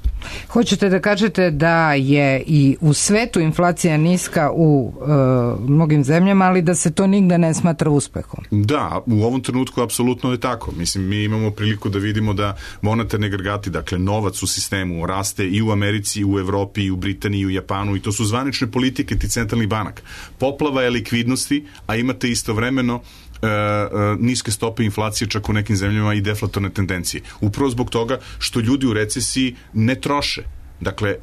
Speaker 1: Hoćete da kažete da je i u svetu inflacija niska u e, mnogim zemljama, ali da se to nigde ne smatra uspehom?
Speaker 4: Da, u ovom trenutku apsolutno je tako. Mislim, mi imamo priliku da vidimo da monetarni agregati, dakle novac u sistemu raste i u Americi, i u Evropi, i u Britaniji, i u Japanu, i to su zvanične politike ti centralnih banaka. Poplava je likvidnosti, a imate istovremeno E, e, niske stope inflacije čak u nekim zemljama i deflatorne tendencije. Upravo zbog toga što ljudi u recesiji ne troše. Dakle,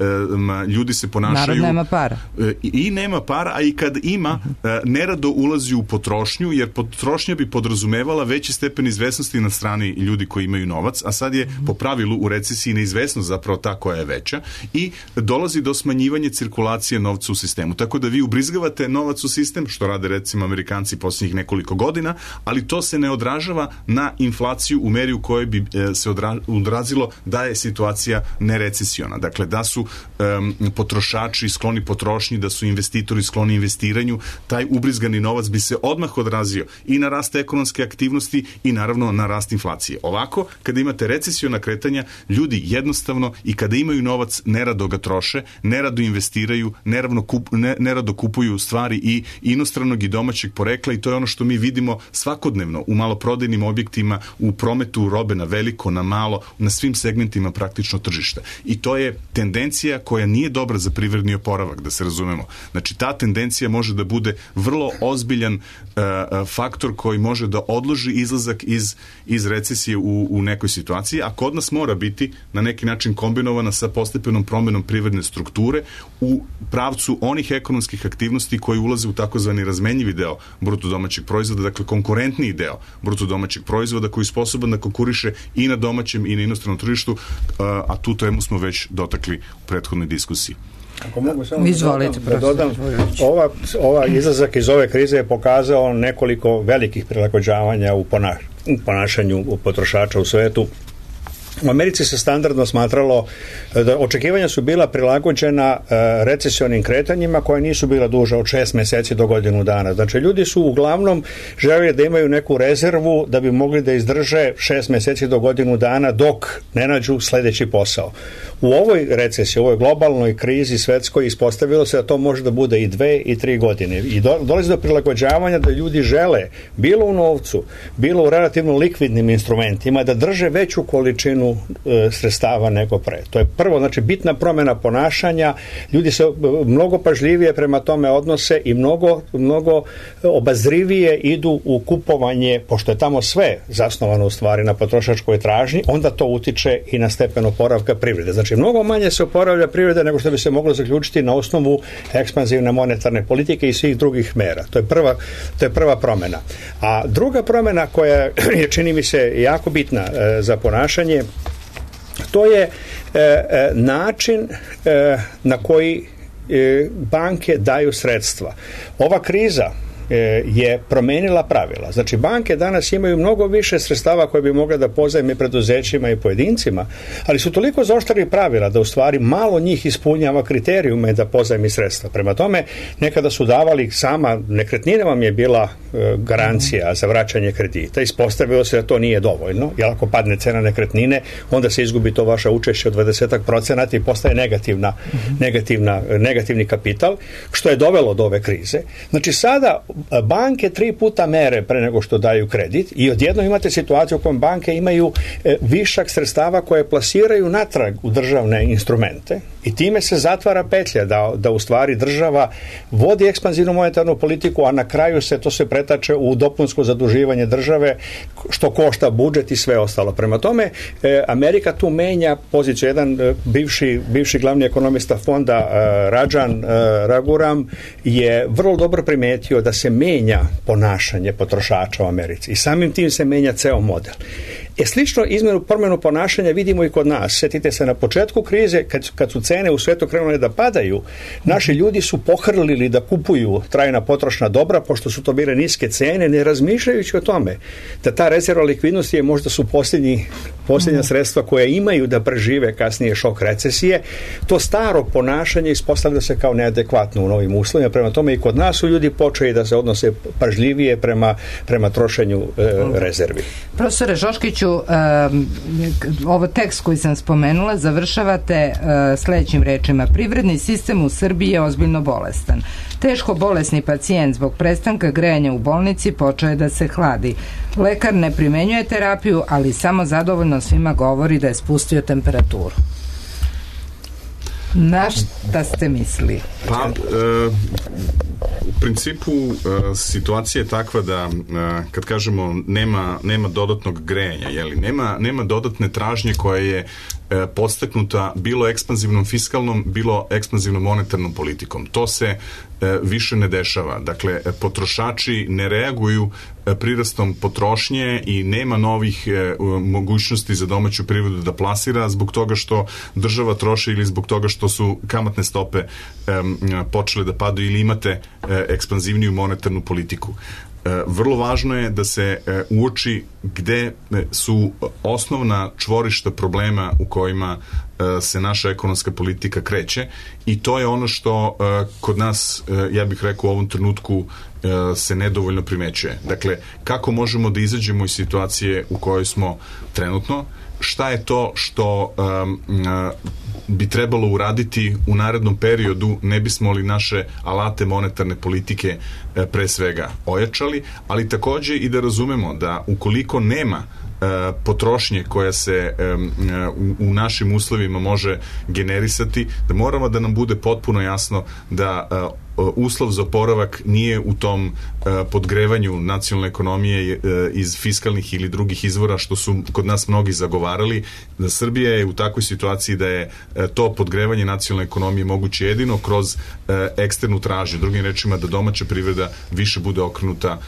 Speaker 4: ljudi se ponašaju...
Speaker 1: Narod nema para.
Speaker 4: I nema para, a i kad ima, nerado ulazi u potrošnju, jer potrošnja bi podrazumevala veći stepen izvesnosti na strani ljudi koji imaju novac, a sad je po pravilu u recesiji neizvesnost zapravo ta koja je veća i dolazi do smanjivanja cirkulacije novca u sistemu. Tako da vi ubrizgavate novac u sistem, što rade recimo Amerikanci posljednjih nekoliko godina, ali to se ne odražava na inflaciju u meri u kojoj bi se odrazilo da je situacija nerecesiona. Dakle, da su um, potrošači skloni potrošnji, da su investitori skloni investiranju, taj ubrizgani novac bi se odmah odrazio i na rast ekonomske aktivnosti i naravno na rast inflacije. Ovako, kada imate recesiona kretanja, ljudi jednostavno i kada imaju novac nerado ga troše, nerado investiraju, nerado, kup, ne, nerado kupuju stvari i inostranog i domaćeg porekla i to je ono što mi vidimo svakodnevno u maloprodajnim objektima, u prometu robe na veliko, na malo, na svim segmentima praktično tržišta. I to je tendencija koja nije dobra za privredni oporavak, da se razumemo. Znači, ta tendencija može da bude vrlo ozbiljan uh, faktor koji može da odloži izlazak iz, iz recesije u, u nekoj situaciji, a kod nas mora biti na neki način kombinovana sa postepenom promenom privredne strukture u pravcu onih ekonomskih aktivnosti koji ulaze u takozvani razmenjivi deo bruto domaćeg proizvoda, dakle konkurentniji deo bruto domaćeg proizvoda koji je sposoban da konkuriše i na domaćem i na inostranom tržištu, uh, a tu temu smo već dotakli u prethodnoj diskusiji.
Speaker 5: Ako mogu samo
Speaker 1: Izvolite,
Speaker 5: da dodam, da dodam ova, ova izlazak iz ove krize je pokazao nekoliko velikih prilagođavanja u, ponaš, u ponašanju potrošača u svetu. U Americi se standardno smatralo da očekivanja su bila prilagođena uh, recesionim kretanjima koja nisu bila duža od šest meseci do godinu dana. Znači, ljudi su uglavnom želeli da imaju neku rezervu da bi mogli da izdrže šest meseci do godinu dana dok ne nađu sledeći posao. U ovoj recesiji, u ovoj globalnoj krizi svetskoj ispostavilo se da to može da bude i dve i tri godine. I do, dolazi do prilagođavanja da ljudi žele, bilo u novcu, bilo u relativno likvidnim instrumentima, da drže veću količinu e, sredstava nego pre. To je prvo, znači bitna promjena ponašanja, ljudi se mnogo pažljivije prema tome odnose i mnogo, mnogo obazrivije idu u kupovanje, pošto je tamo sve zasnovano u stvari na potrošačkoj tražnji, onda to utiče i na stepen oporavka privrede. Znači, mnogo manje se oporavlja privreda nego što bi se moglo zaključiti na osnovu ekspanzivne monetarne politike i svih drugih mera. To je prva, to je prva promjena. A druga promjena koja je, čini mi se, jako bitna e, za ponašanje, to je e, e, način e, na koji e, banke daju sredstva. Ova kriza je promenila pravila. Znači, banke danas imaju mnogo više sredstava koje bi mogle da pozajme preduzećima i pojedincima, ali su toliko zaoštrili pravila da u stvari malo njih ispunjava kriterijume da pozajmi sredstva. Prema tome, nekada su davali, sama nekretnina vam je bila e, garancija za vraćanje kredita. Ispostavilo se da to nije dovoljno, jer ako padne cena nekretnine, onda se izgubi to vaše učešće od dvadeset procenata i postaje negativna, mm-hmm. negativna, negativni kapital, što je dovelo do ove krize. Znači, sada banke tri puta mere pre nego što daju kredit i odjednom imate situaciju u kojoj banke imaju e, višak sredstava koje plasiraju natrag u državne instrumente i time se zatvara petlja da, da u stvari država vodi ekspanzivnu monetarnu politiku, a na kraju se to se pretače u dopunsko zaduživanje države što košta budžet i sve ostalo. Prema tome, e, Amerika tu menja poziciju. Jedan e, bivši, bivši glavni ekonomista fonda e, Rajan e, Raghuram je vrlo dobro primetio da se menja ponašanje potrošača u Americi i samim tim se menja ceo model. E, slično izmenu, promjenu ponašanja vidimo i kod nas. Sjetite se na početku krize, kad, kad su cene u svetu krenule da padaju, naši ljudi su pohrlili da kupuju trajna potrošna dobra, pošto su to bile niske cene, ne razmišljajući o tome da ta rezerva likvidnosti je možda su posljednji, posljednja sredstva koje imaju da prežive kasnije šok recesije. To staro ponašanje ispostavlja se kao neadekvatno u novim uslovima. Prema tome i kod nas su ljudi počeli da se odnose pažljivije prema, prema trošenju e, rezervi.
Speaker 1: Profesore Šoškiću, Radojičiću, um, ovo tekst koji sam spomenula završavate uh, sledećim rečima. Privredni sistem u Srbiji je ozbiljno bolestan. Teško bolesni pacijent zbog prestanka grejanja u bolnici počeo je da se hladi. Lekar ne primenjuje terapiju, ali samo zadovoljno svima govori da je spustio temperaturu. Na šta ste mislili?
Speaker 4: Pa, e, u principu e, situacija je takva da e, kad kažemo nema, nema dodatnog grejanja, jeli, nema, nema dodatne tražnje koja je e, podstaknuta bilo ekspanzivnom fiskalnom, bilo ekspanzivnom monetarnom politikom. To se e, više ne dešava. Dakle, potrošači ne reaguju e, prirastom potrošnje i nema novih e, mogućnosti za domaću privredu da plasira zbog toga što država troši ili zbog toga što su kamatne stope e, počele da padaju ili imate e, ekspanzivniju monetarnu politiku. Vrlo važno je da se uoči gde su osnovna čvorišta problema u kojima se naša ekonomska politika kreće i to je ono što kod nas, ja bih rekao, u ovom trenutku se nedovoljno primećuje. Dakle, kako možemo da izađemo iz situacije u kojoj smo trenutno, šta je to što um, bi trebalo uraditi u narednom periodu, ne bismo li naše alate monetarne politike e, pre svega ojačali, ali takođe i da razumemo da ukoliko nema e, potrošnje koja se e, u, u našim uslovima može generisati, da moramo da nam bude potpuno jasno da e, uslov za oporavak nije u tom uh, podgrevanju nacionalne ekonomije uh, iz fiskalnih ili drugih izvora što su kod nas mnogi zagovarali. Da Srbija je u takvoj situaciji da je uh, to podgrevanje nacionalne ekonomije moguće jedino kroz uh, eksternu tražnju. Drugim rečima da domaća privreda više bude okrenuta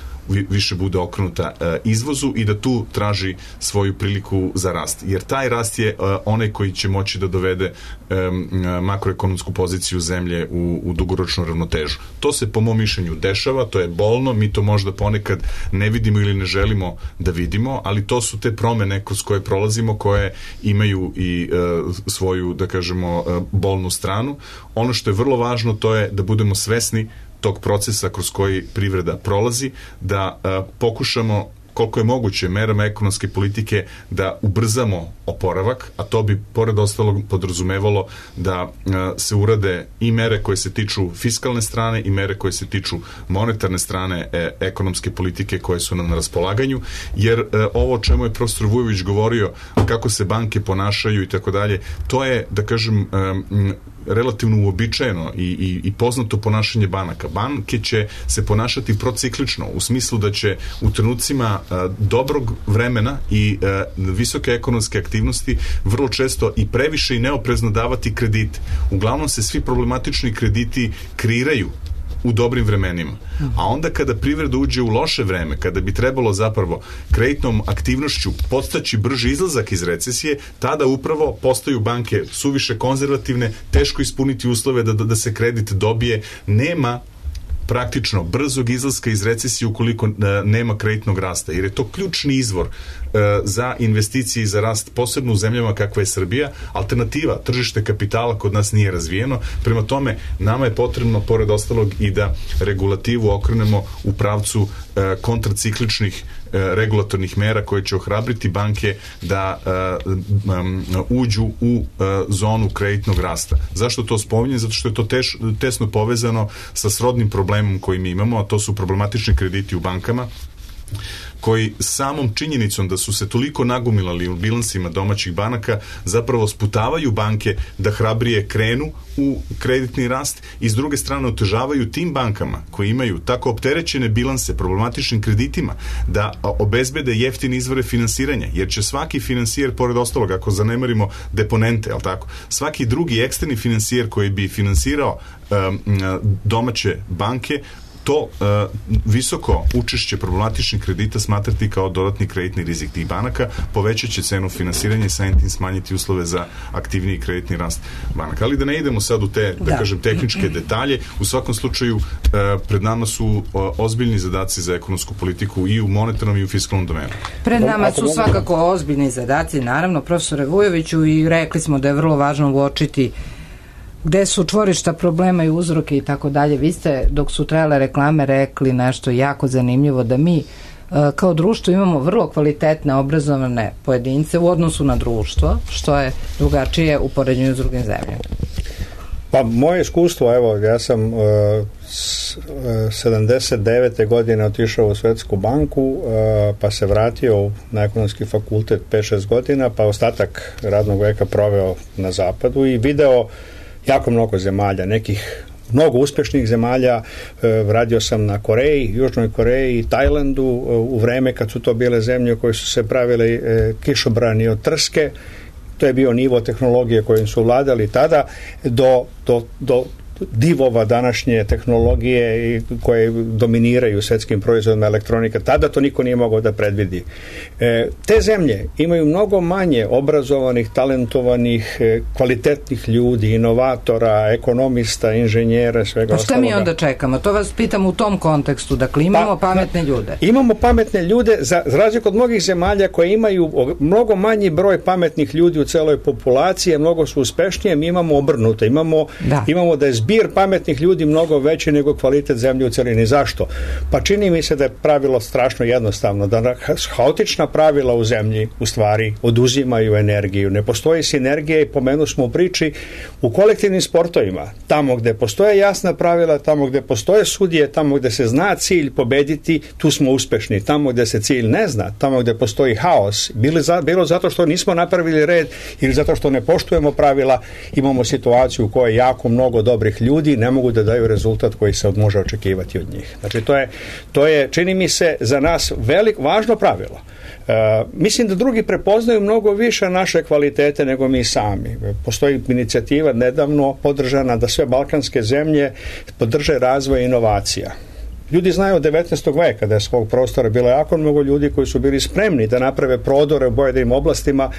Speaker 4: više bude okrenuta uh, izvozu i da tu traži svoju priliku za rast. Jer taj rast je uh, onaj koji će moći da dovede um, makroekonomsku poziciju zemlje u, u dugoročnu ravnotežu. To se po mom mišljenju dešava, to je bolno, mi to možda ponekad ne vidimo ili ne želimo da vidimo, ali to su te promene kroz koje prolazimo, koje imaju i uh, svoju, da kažemo, uh, bolnu stranu. Ono što je vrlo važno to je da budemo svesni tog procesa kroz koji privreda prolazi, da a, pokušamo koliko je moguće merama ekonomske politike da ubrzamo oporavak, a to bi pored ostalog podrazumevalo da a, se urade i mere koje se tiču fiskalne strane i mere koje se tiču monetarne strane e, ekonomske politike koje su nam na raspolaganju, jer e, ovo o čemu je profesor Vujović govorio, kako se banke ponašaju i tako dalje, to je, da kažem, e, relativno uobičajeno i, i, i poznato ponašanje banaka. Banke će se ponašati prociklično, u smislu da će u trenucima a, dobrog vremena i a, visoke ekonomske aktivnosti vrlo često i previše i neoprezno davati kredite. Uglavnom se svi problematični krediti kreiraju u dobrim vremenima. A onda kada privreda uđe u loše vreme, kada bi trebalo zapravo kreditnom aktivnošću podstaći brži izlazak iz recesije, tada upravo postaju banke suviše konzervativne, teško ispuniti uslove da, da se kredit dobije, nema praktično brzog izlaska iz recesije ukoliko uh, nema kreditnog rasta, jer je to ključni izvor uh, za investicije i za rast, posebno u zemljama kakva je Srbija. Alternativa, tržište kapitala kod nas nije razvijeno, prema tome nama je potrebno pored ostalog i da regulativu okrenemo u pravcu uh, kontracikličnih uh, regulatornih mera koje će ohrabriti banke da uh, um, uđu u uh, zonu kreditnog rasta. Zašto to spominjem? Zato što je to teš, tesno povezano sa srodnim problemom koji mi imamo, a to su problematični krediti u bankama, koji samom činjenicom da su se toliko nagomilali u bilansima domaćih banaka zapravo sputavaju banke da hrabrije krenu u kreditni rast i s druge strane otežavaju tim bankama koji imaju tako opterećene bilanse problematičnim kreditima da obezbede jeftine izvore finansiranja, jer će svaki finansijer, pored ostalog, ako zanemarimo deponente, al tako, svaki drugi eksterni finansijer koji bi finansirao um, domaće banke, to uh, visoko učešće problematičnih kredita smatrati kao dodatni kreditni rizik tih banaka, povećat će cenu finansiranja i samim tim smanjiti uslove za aktivniji kreditni rast banaka. Ali da ne idemo sad u te, da, da kažem, tehničke detalje, u svakom slučaju uh, pred nama su uh, ozbiljni zadaci za ekonomsku politiku i u monetarnom i u fiskalnom domenu.
Speaker 1: Pred nama su svakako ozbiljni zadaci, naravno, profesore Vujoviću, i rekli smo da je vrlo važno uočiti gde su čvorišta problema i uzroke i tako dalje. Vi ste, dok su trajale reklame, rekli nešto jako zanimljivo, da mi kao društvo imamo vrlo kvalitetne, obrazovane pojedince u odnosu na društvo, što je drugačije u poređenju s drugim zemljama.
Speaker 5: Pa moje iskustvo, evo, ja sam uh, s, uh, sedamdeset devete godine otišao u Svetsku banku, uh, pa se vratio na ekonomski fakultet pet šest godina, pa ostatak radnog veka proveo na zapadu i video jako mnogo zemalja, nekih mnogo uspešnih zemalja. Uh, radio sam na Koreji, Južnoj Koreji, Tajlandu, uh, u vreme kad su to bile zemlje koje su se pravile uh, kišobrani od trske. To je bio nivo tehnologije kojim su vladali tada do, do, do divova današnje tehnologije koje dominiraju svetskim proizvodima elektronika. Tada to niko nije mogao da predvidi. E, te zemlje imaju mnogo manje obrazovanih, talentovanih, e, kvalitetnih ljudi, inovatora, ekonomista, inženjera, svega ostaloga.
Speaker 1: Pa šta mi onda čekamo? To vas pitam u tom kontekstu. Dakle, imamo pa, pametne ljude.
Speaker 5: Imamo pametne ljude, za, za razliku od mnogih zemalja koje imaju mnogo manji broj pametnih ljudi u celoj populaciji, mnogo su uspešnije, mi imamo obrnuto. Imamo da, imamo da je zbir pametnih ljudi mnogo veći nego kvalitet zemlje u celini. Zašto? Pa čini mi se da je pravilo strašno jednostavno, da haotična pravila u zemlji u stvari oduzimaju energiju. Ne postoji sinergija i pomenu smo u priči u kolektivnim sportovima. Tamo gde postoje jasna pravila, tamo gde postoje sudije, tamo gde se zna cilj pobediti, tu smo uspešni. Tamo gde se cilj ne zna, tamo gde postoji haos, bilo, za, bilo zato što nismo napravili red ili zato što ne poštujemo pravila, imamo situaciju u kojoj jako mnogo dobrih ljudi ne mogu da daju rezultat koji se može očekivati od njih. Znači to je, to je čini mi se za nas velik, važno pravilo. Uh, mislim da drugi prepoznaju mnogo više naše kvalitete nego mi sami. Postoji inicijativa nedavno podržana da sve balkanske zemlje podrže razvoj inovacija. Ljudi znaju od devetnaestog veka da je svog prostora bilo jako mnogo ljudi koji su bili spremni da naprave prodore u pojedinim oblastima.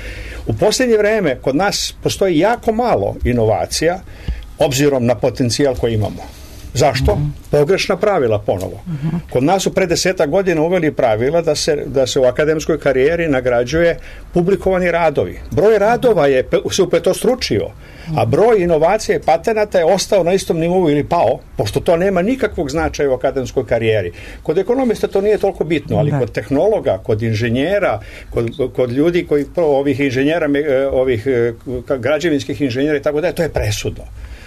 Speaker 5: U posljednje vreme kod nas postoji jako malo inovacija obzirom na potencijal koji imamo. Zašto? Mm-hmm. Pogrešna pravila ponovo. Mm-hmm. Kod nas su pre desetak godina uveli pravila da se, da se u akademskoj karijeri nagrađuje publikovani radovi. Broj radova je se upetostručio, a broj inovacija i patenata je ostao na istom nivou ili pao, pošto to nema nikakvog značaja u akademskoj karijeri. Kod ekonomista to nije toliko bitno, ali kod tehnologa, kod inženjera, kod, kod ljudi koji ovih inženjera, ovih građevinskih inženjera i tako da, to je presudno.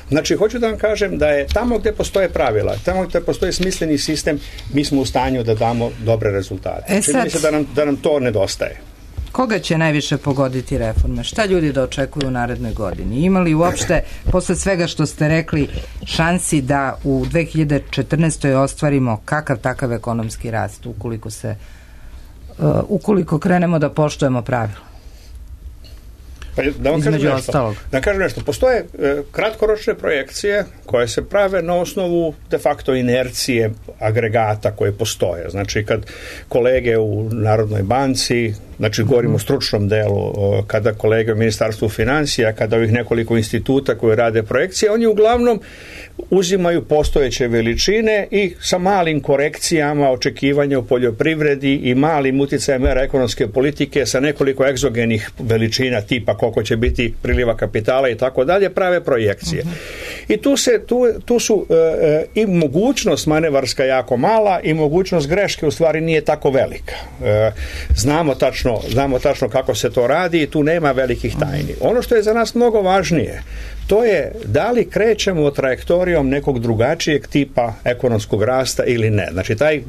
Speaker 5: Znači, hoću da vam kažem da je tamo gde postoje pravila, tamo gde postoji smisleni sistem, mi smo u stanju da damo dobre rezultate. E Čini mi se da nam, da nam to nedostaje.
Speaker 1: Koga će najviše pogoditi reforme? Šta ljudi da očekuju u narednoj godini? Ima li uopšte, posle svega što ste rekli, šansi da u dve hiljade četrnaestoj ostvarimo kakav takav ekonomski rast, ukoliko se, uh, ukoliko krenemo da poštujemo pravila?
Speaker 5: Pa da vam kažem nešto, da kažem nešto, postoje e, kratkoročne projekcije koje se prave na osnovu de facto inercije agregata koje postoje. Znači kad kolege u Narodnoj banci, znači govorimo o stručnom delu, kada kolege u Ministarstvu financija, kada ovih nekoliko instituta koji rade projekcije, oni uglavnom uzimaju postojeće veličine i sa malim korekcijama očekivanja u poljoprivredi i malim uticajem mera ekonomske politike sa nekoliko egzogenih veličina tipa koliko će biti priliva kapitala i tako dalje, prave projekcije. Uh-huh. I tu, se, tu, tu su e, i mogućnost manevarska jako mala i mogućnost greške u stvari nije tako velika. E, znamo tačno, znamo tačno kako se to radi i tu nema velikih tajni. Ono što je za nas mnogo važnije, to je da li krećemo trajektorijom nekog drugačijeg tipa ekonomskog rasta ili ne. Znači, taj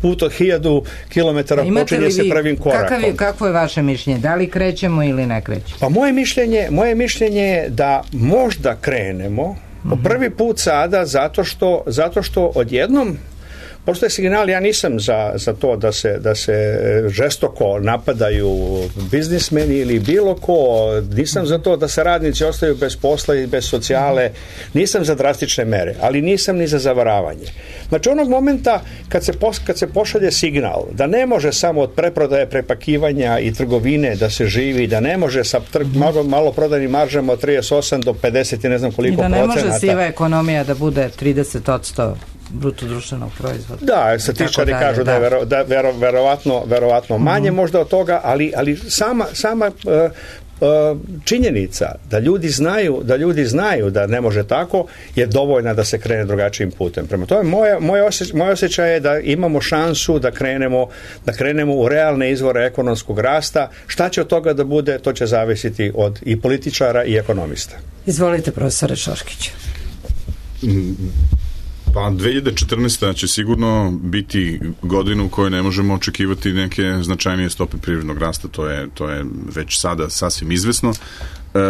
Speaker 5: put od hiljadu kilometara počinje se prvim korakom.
Speaker 1: Kakav je, kakvo je vaše mišljenje? Da li krećemo ili ne krećemo?
Speaker 5: Pa moje mišljenje, moje mišljenje je da možda krenemo po prvi put sada zato što, zato što odjednom postoje signal, ja nisam za, za to da se, da se žestoko napadaju biznismeni ili bilo ko, nisam za to da se radnici ostaju bez posla i bez socijale, nisam za drastične mere, ali nisam ni za zavaravanje. Znači onog momenta kad se, pos, kad se pošalje signal da ne može samo od preprodaje, prepakivanja i trgovine da se živi, da ne može sa trg, malo, malo prodajnim maržama od trideset osam do pedeset i ne znam koliko procenata.
Speaker 1: I da ne može siva ekonomija da bude trideset posto bruto društvenog proizvoda.
Speaker 5: Da, statističari kažu da je vero, da vero, verovatno, verovatno manje mm-hmm. možda od toga, ali, ali sama, sama uh, činjenica da ljudi znaju da ljudi znaju da ne može tako je dovoljna da se krene drugačijim putem. Prema tome, moje, moje, osjećaj, moje osjećaj je da imamo šansu da krenemo, da krenemo u realne izvore ekonomskog rasta. Šta će od toga da bude, to će zavisiti od i političara i ekonomista.
Speaker 1: Izvolite, profesore Šoškić.
Speaker 4: Pa dve hiljade četrnaesta. će sigurno biti godina u kojoj ne možemo očekivati neke značajnije stope privrednog rasta, to je, to je već sada sasvim izvesno.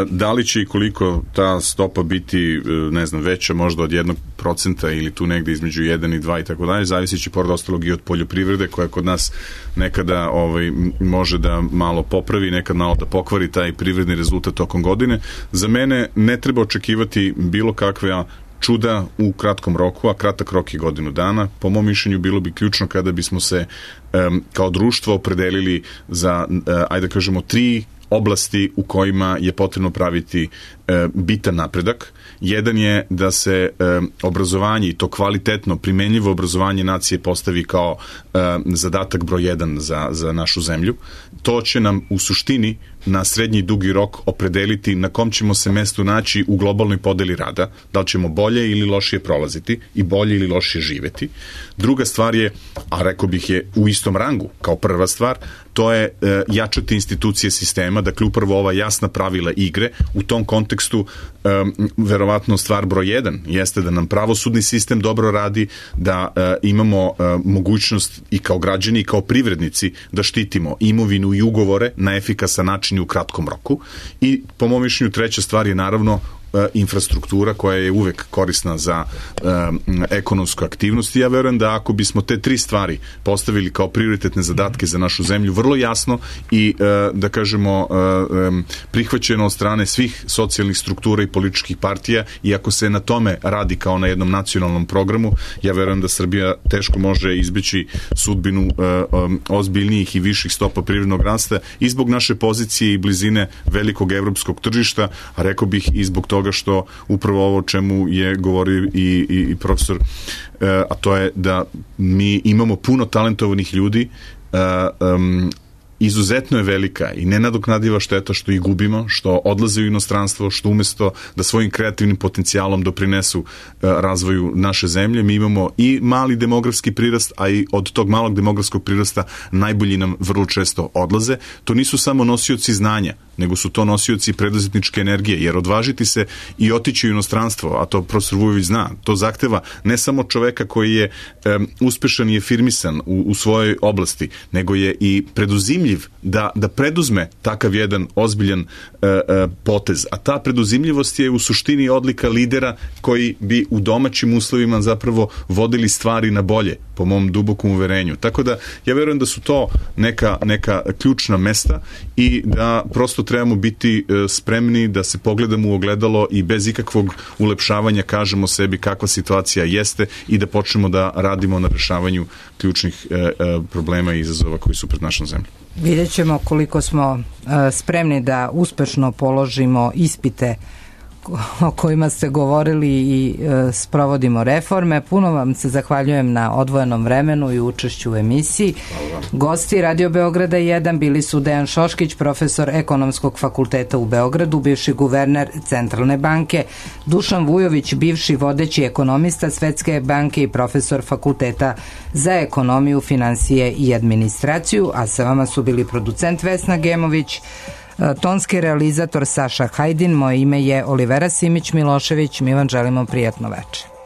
Speaker 4: Da li će i koliko ta stopa biti, ne znam, veća možda od jednog procenta ili tu negde između jedan i dva i tako dalje, zavisi će pored ostalog i od poljoprivrede koja kod nas nekada ovaj, može da malo popravi, nekad malo da pokvari taj privredni rezultat tokom godine. Za mene ne treba očekivati bilo kakve čuda u kratkom roku, a kratak rok je godinu dana. Po mom mišljenju bilo bi ključno kada bismo se um, kao društvo opredelili za, uh, ajde da kažemo, tri oblasti u kojima je potrebno praviti e, bitan napredak. Jedan je da se e, obrazovanje, i to kvalitetno, primenljivo obrazovanje nacije postavi kao e, zadatak broj jedan za, za našu zemlju. To će nam u suštini na srednji i dugi rok opredeliti na kom ćemo se mestu naći u globalnoj podeli rada, da li ćemo bolje ili lošije prolaziti i bolje ili lošije živeti. Druga stvar je, a rekao bih je u istom rangu kao prva stvar, to je e, jačati institucije sistema, dakle upravo ova jasna pravila igre. U tom kontekstu e, verovatno stvar broj jedan jeste da nam pravosudni sistem dobro radi, da e, imamo e, mogućnost i kao građani i kao privrednici da štitimo imovinu i ugovore na efikasan način u kratkom roku. I po mom mišljenju treća stvar je naravno infrastruktura koja je uvek korisna za um, ekonomsku aktivnost i ja verujem da ako bismo te tri stvari postavili kao prioritetne zadatke za našu zemlju vrlo jasno i uh, da kažemo uh, um, prihvaćeno od strane svih socijalnih struktura i političkih partija i ako se na tome radi kao na jednom nacionalnom programu, ja verujem da Srbija teško može izbeći sudbinu uh, um, ozbiljnijih i viših stopa privrednog rasta i zbog naše pozicije i blizine velikog evropskog tržišta, a rekao bih i zbog toga što upravo ovo o čemu je govorio i, i, i profesor, a to je da mi imamo puno talentovanih ljudi, um, izuzetno je velika i nenadoknadiva šteta što ih gubimo, što odlaze u inostranstvo, što umesto da svojim kreativnim potencijalom doprinesu uh, razvoju naše zemlje, mi imamo i mali demografski prirast, a i od tog malog demografskog prirasta najbolji nam vrlo često odlaze. To nisu samo nosioci znanja, nego su to nosioci preduzetničke energije, jer odvažiti se i otići u inostranstvo, a to profesor Vujović zna, to zahteva ne samo čoveka koji je um, uspešan i afirmisan u, u svojoj oblasti, nego je i preduzimljiv da, da preduzme takav jedan ozbiljan uh, uh, potez. A ta preduzimljivost je u suštini odlika lidera koji bi u domaćim uslovima zapravo vodili stvari na bolje, po mom dubokom uverenju. Tako da ja verujem da su to neka, neka ključna mesta i da prosto trebamo biti uh, spremni da se pogledamo u ogledalo i bez ikakvog ulepšavanja kažemo sebi kakva situacija jeste i da počnemo da radimo na rešavanju ključnih uh, uh, problema i izazova koji su pred našom zemljom.
Speaker 1: Vidjet ćemo koliko smo uh, spremni da uspešno položimo ispite o kojima ste govorili i e, sprovodimo reforme. Puno vam se zahvaljujem na odvojenom vremenu i učešću u emisiji. Gosti Radio Beograda jedan bili su Dejan Šoškić, profesor Ekonomskog fakulteta u Beogradu, bivši guverner Centralne banke, Dušan Vujović, bivši vodeći ekonomista Svetske banke i profesor Fakulteta za ekonomiju, finansije i administraciju, a sa vama su bili producent Vesna Gemović, tonski realizator Saša Hajdin, moje ime je Olivera Simić Milošević, mi vam želimo prijatno večer.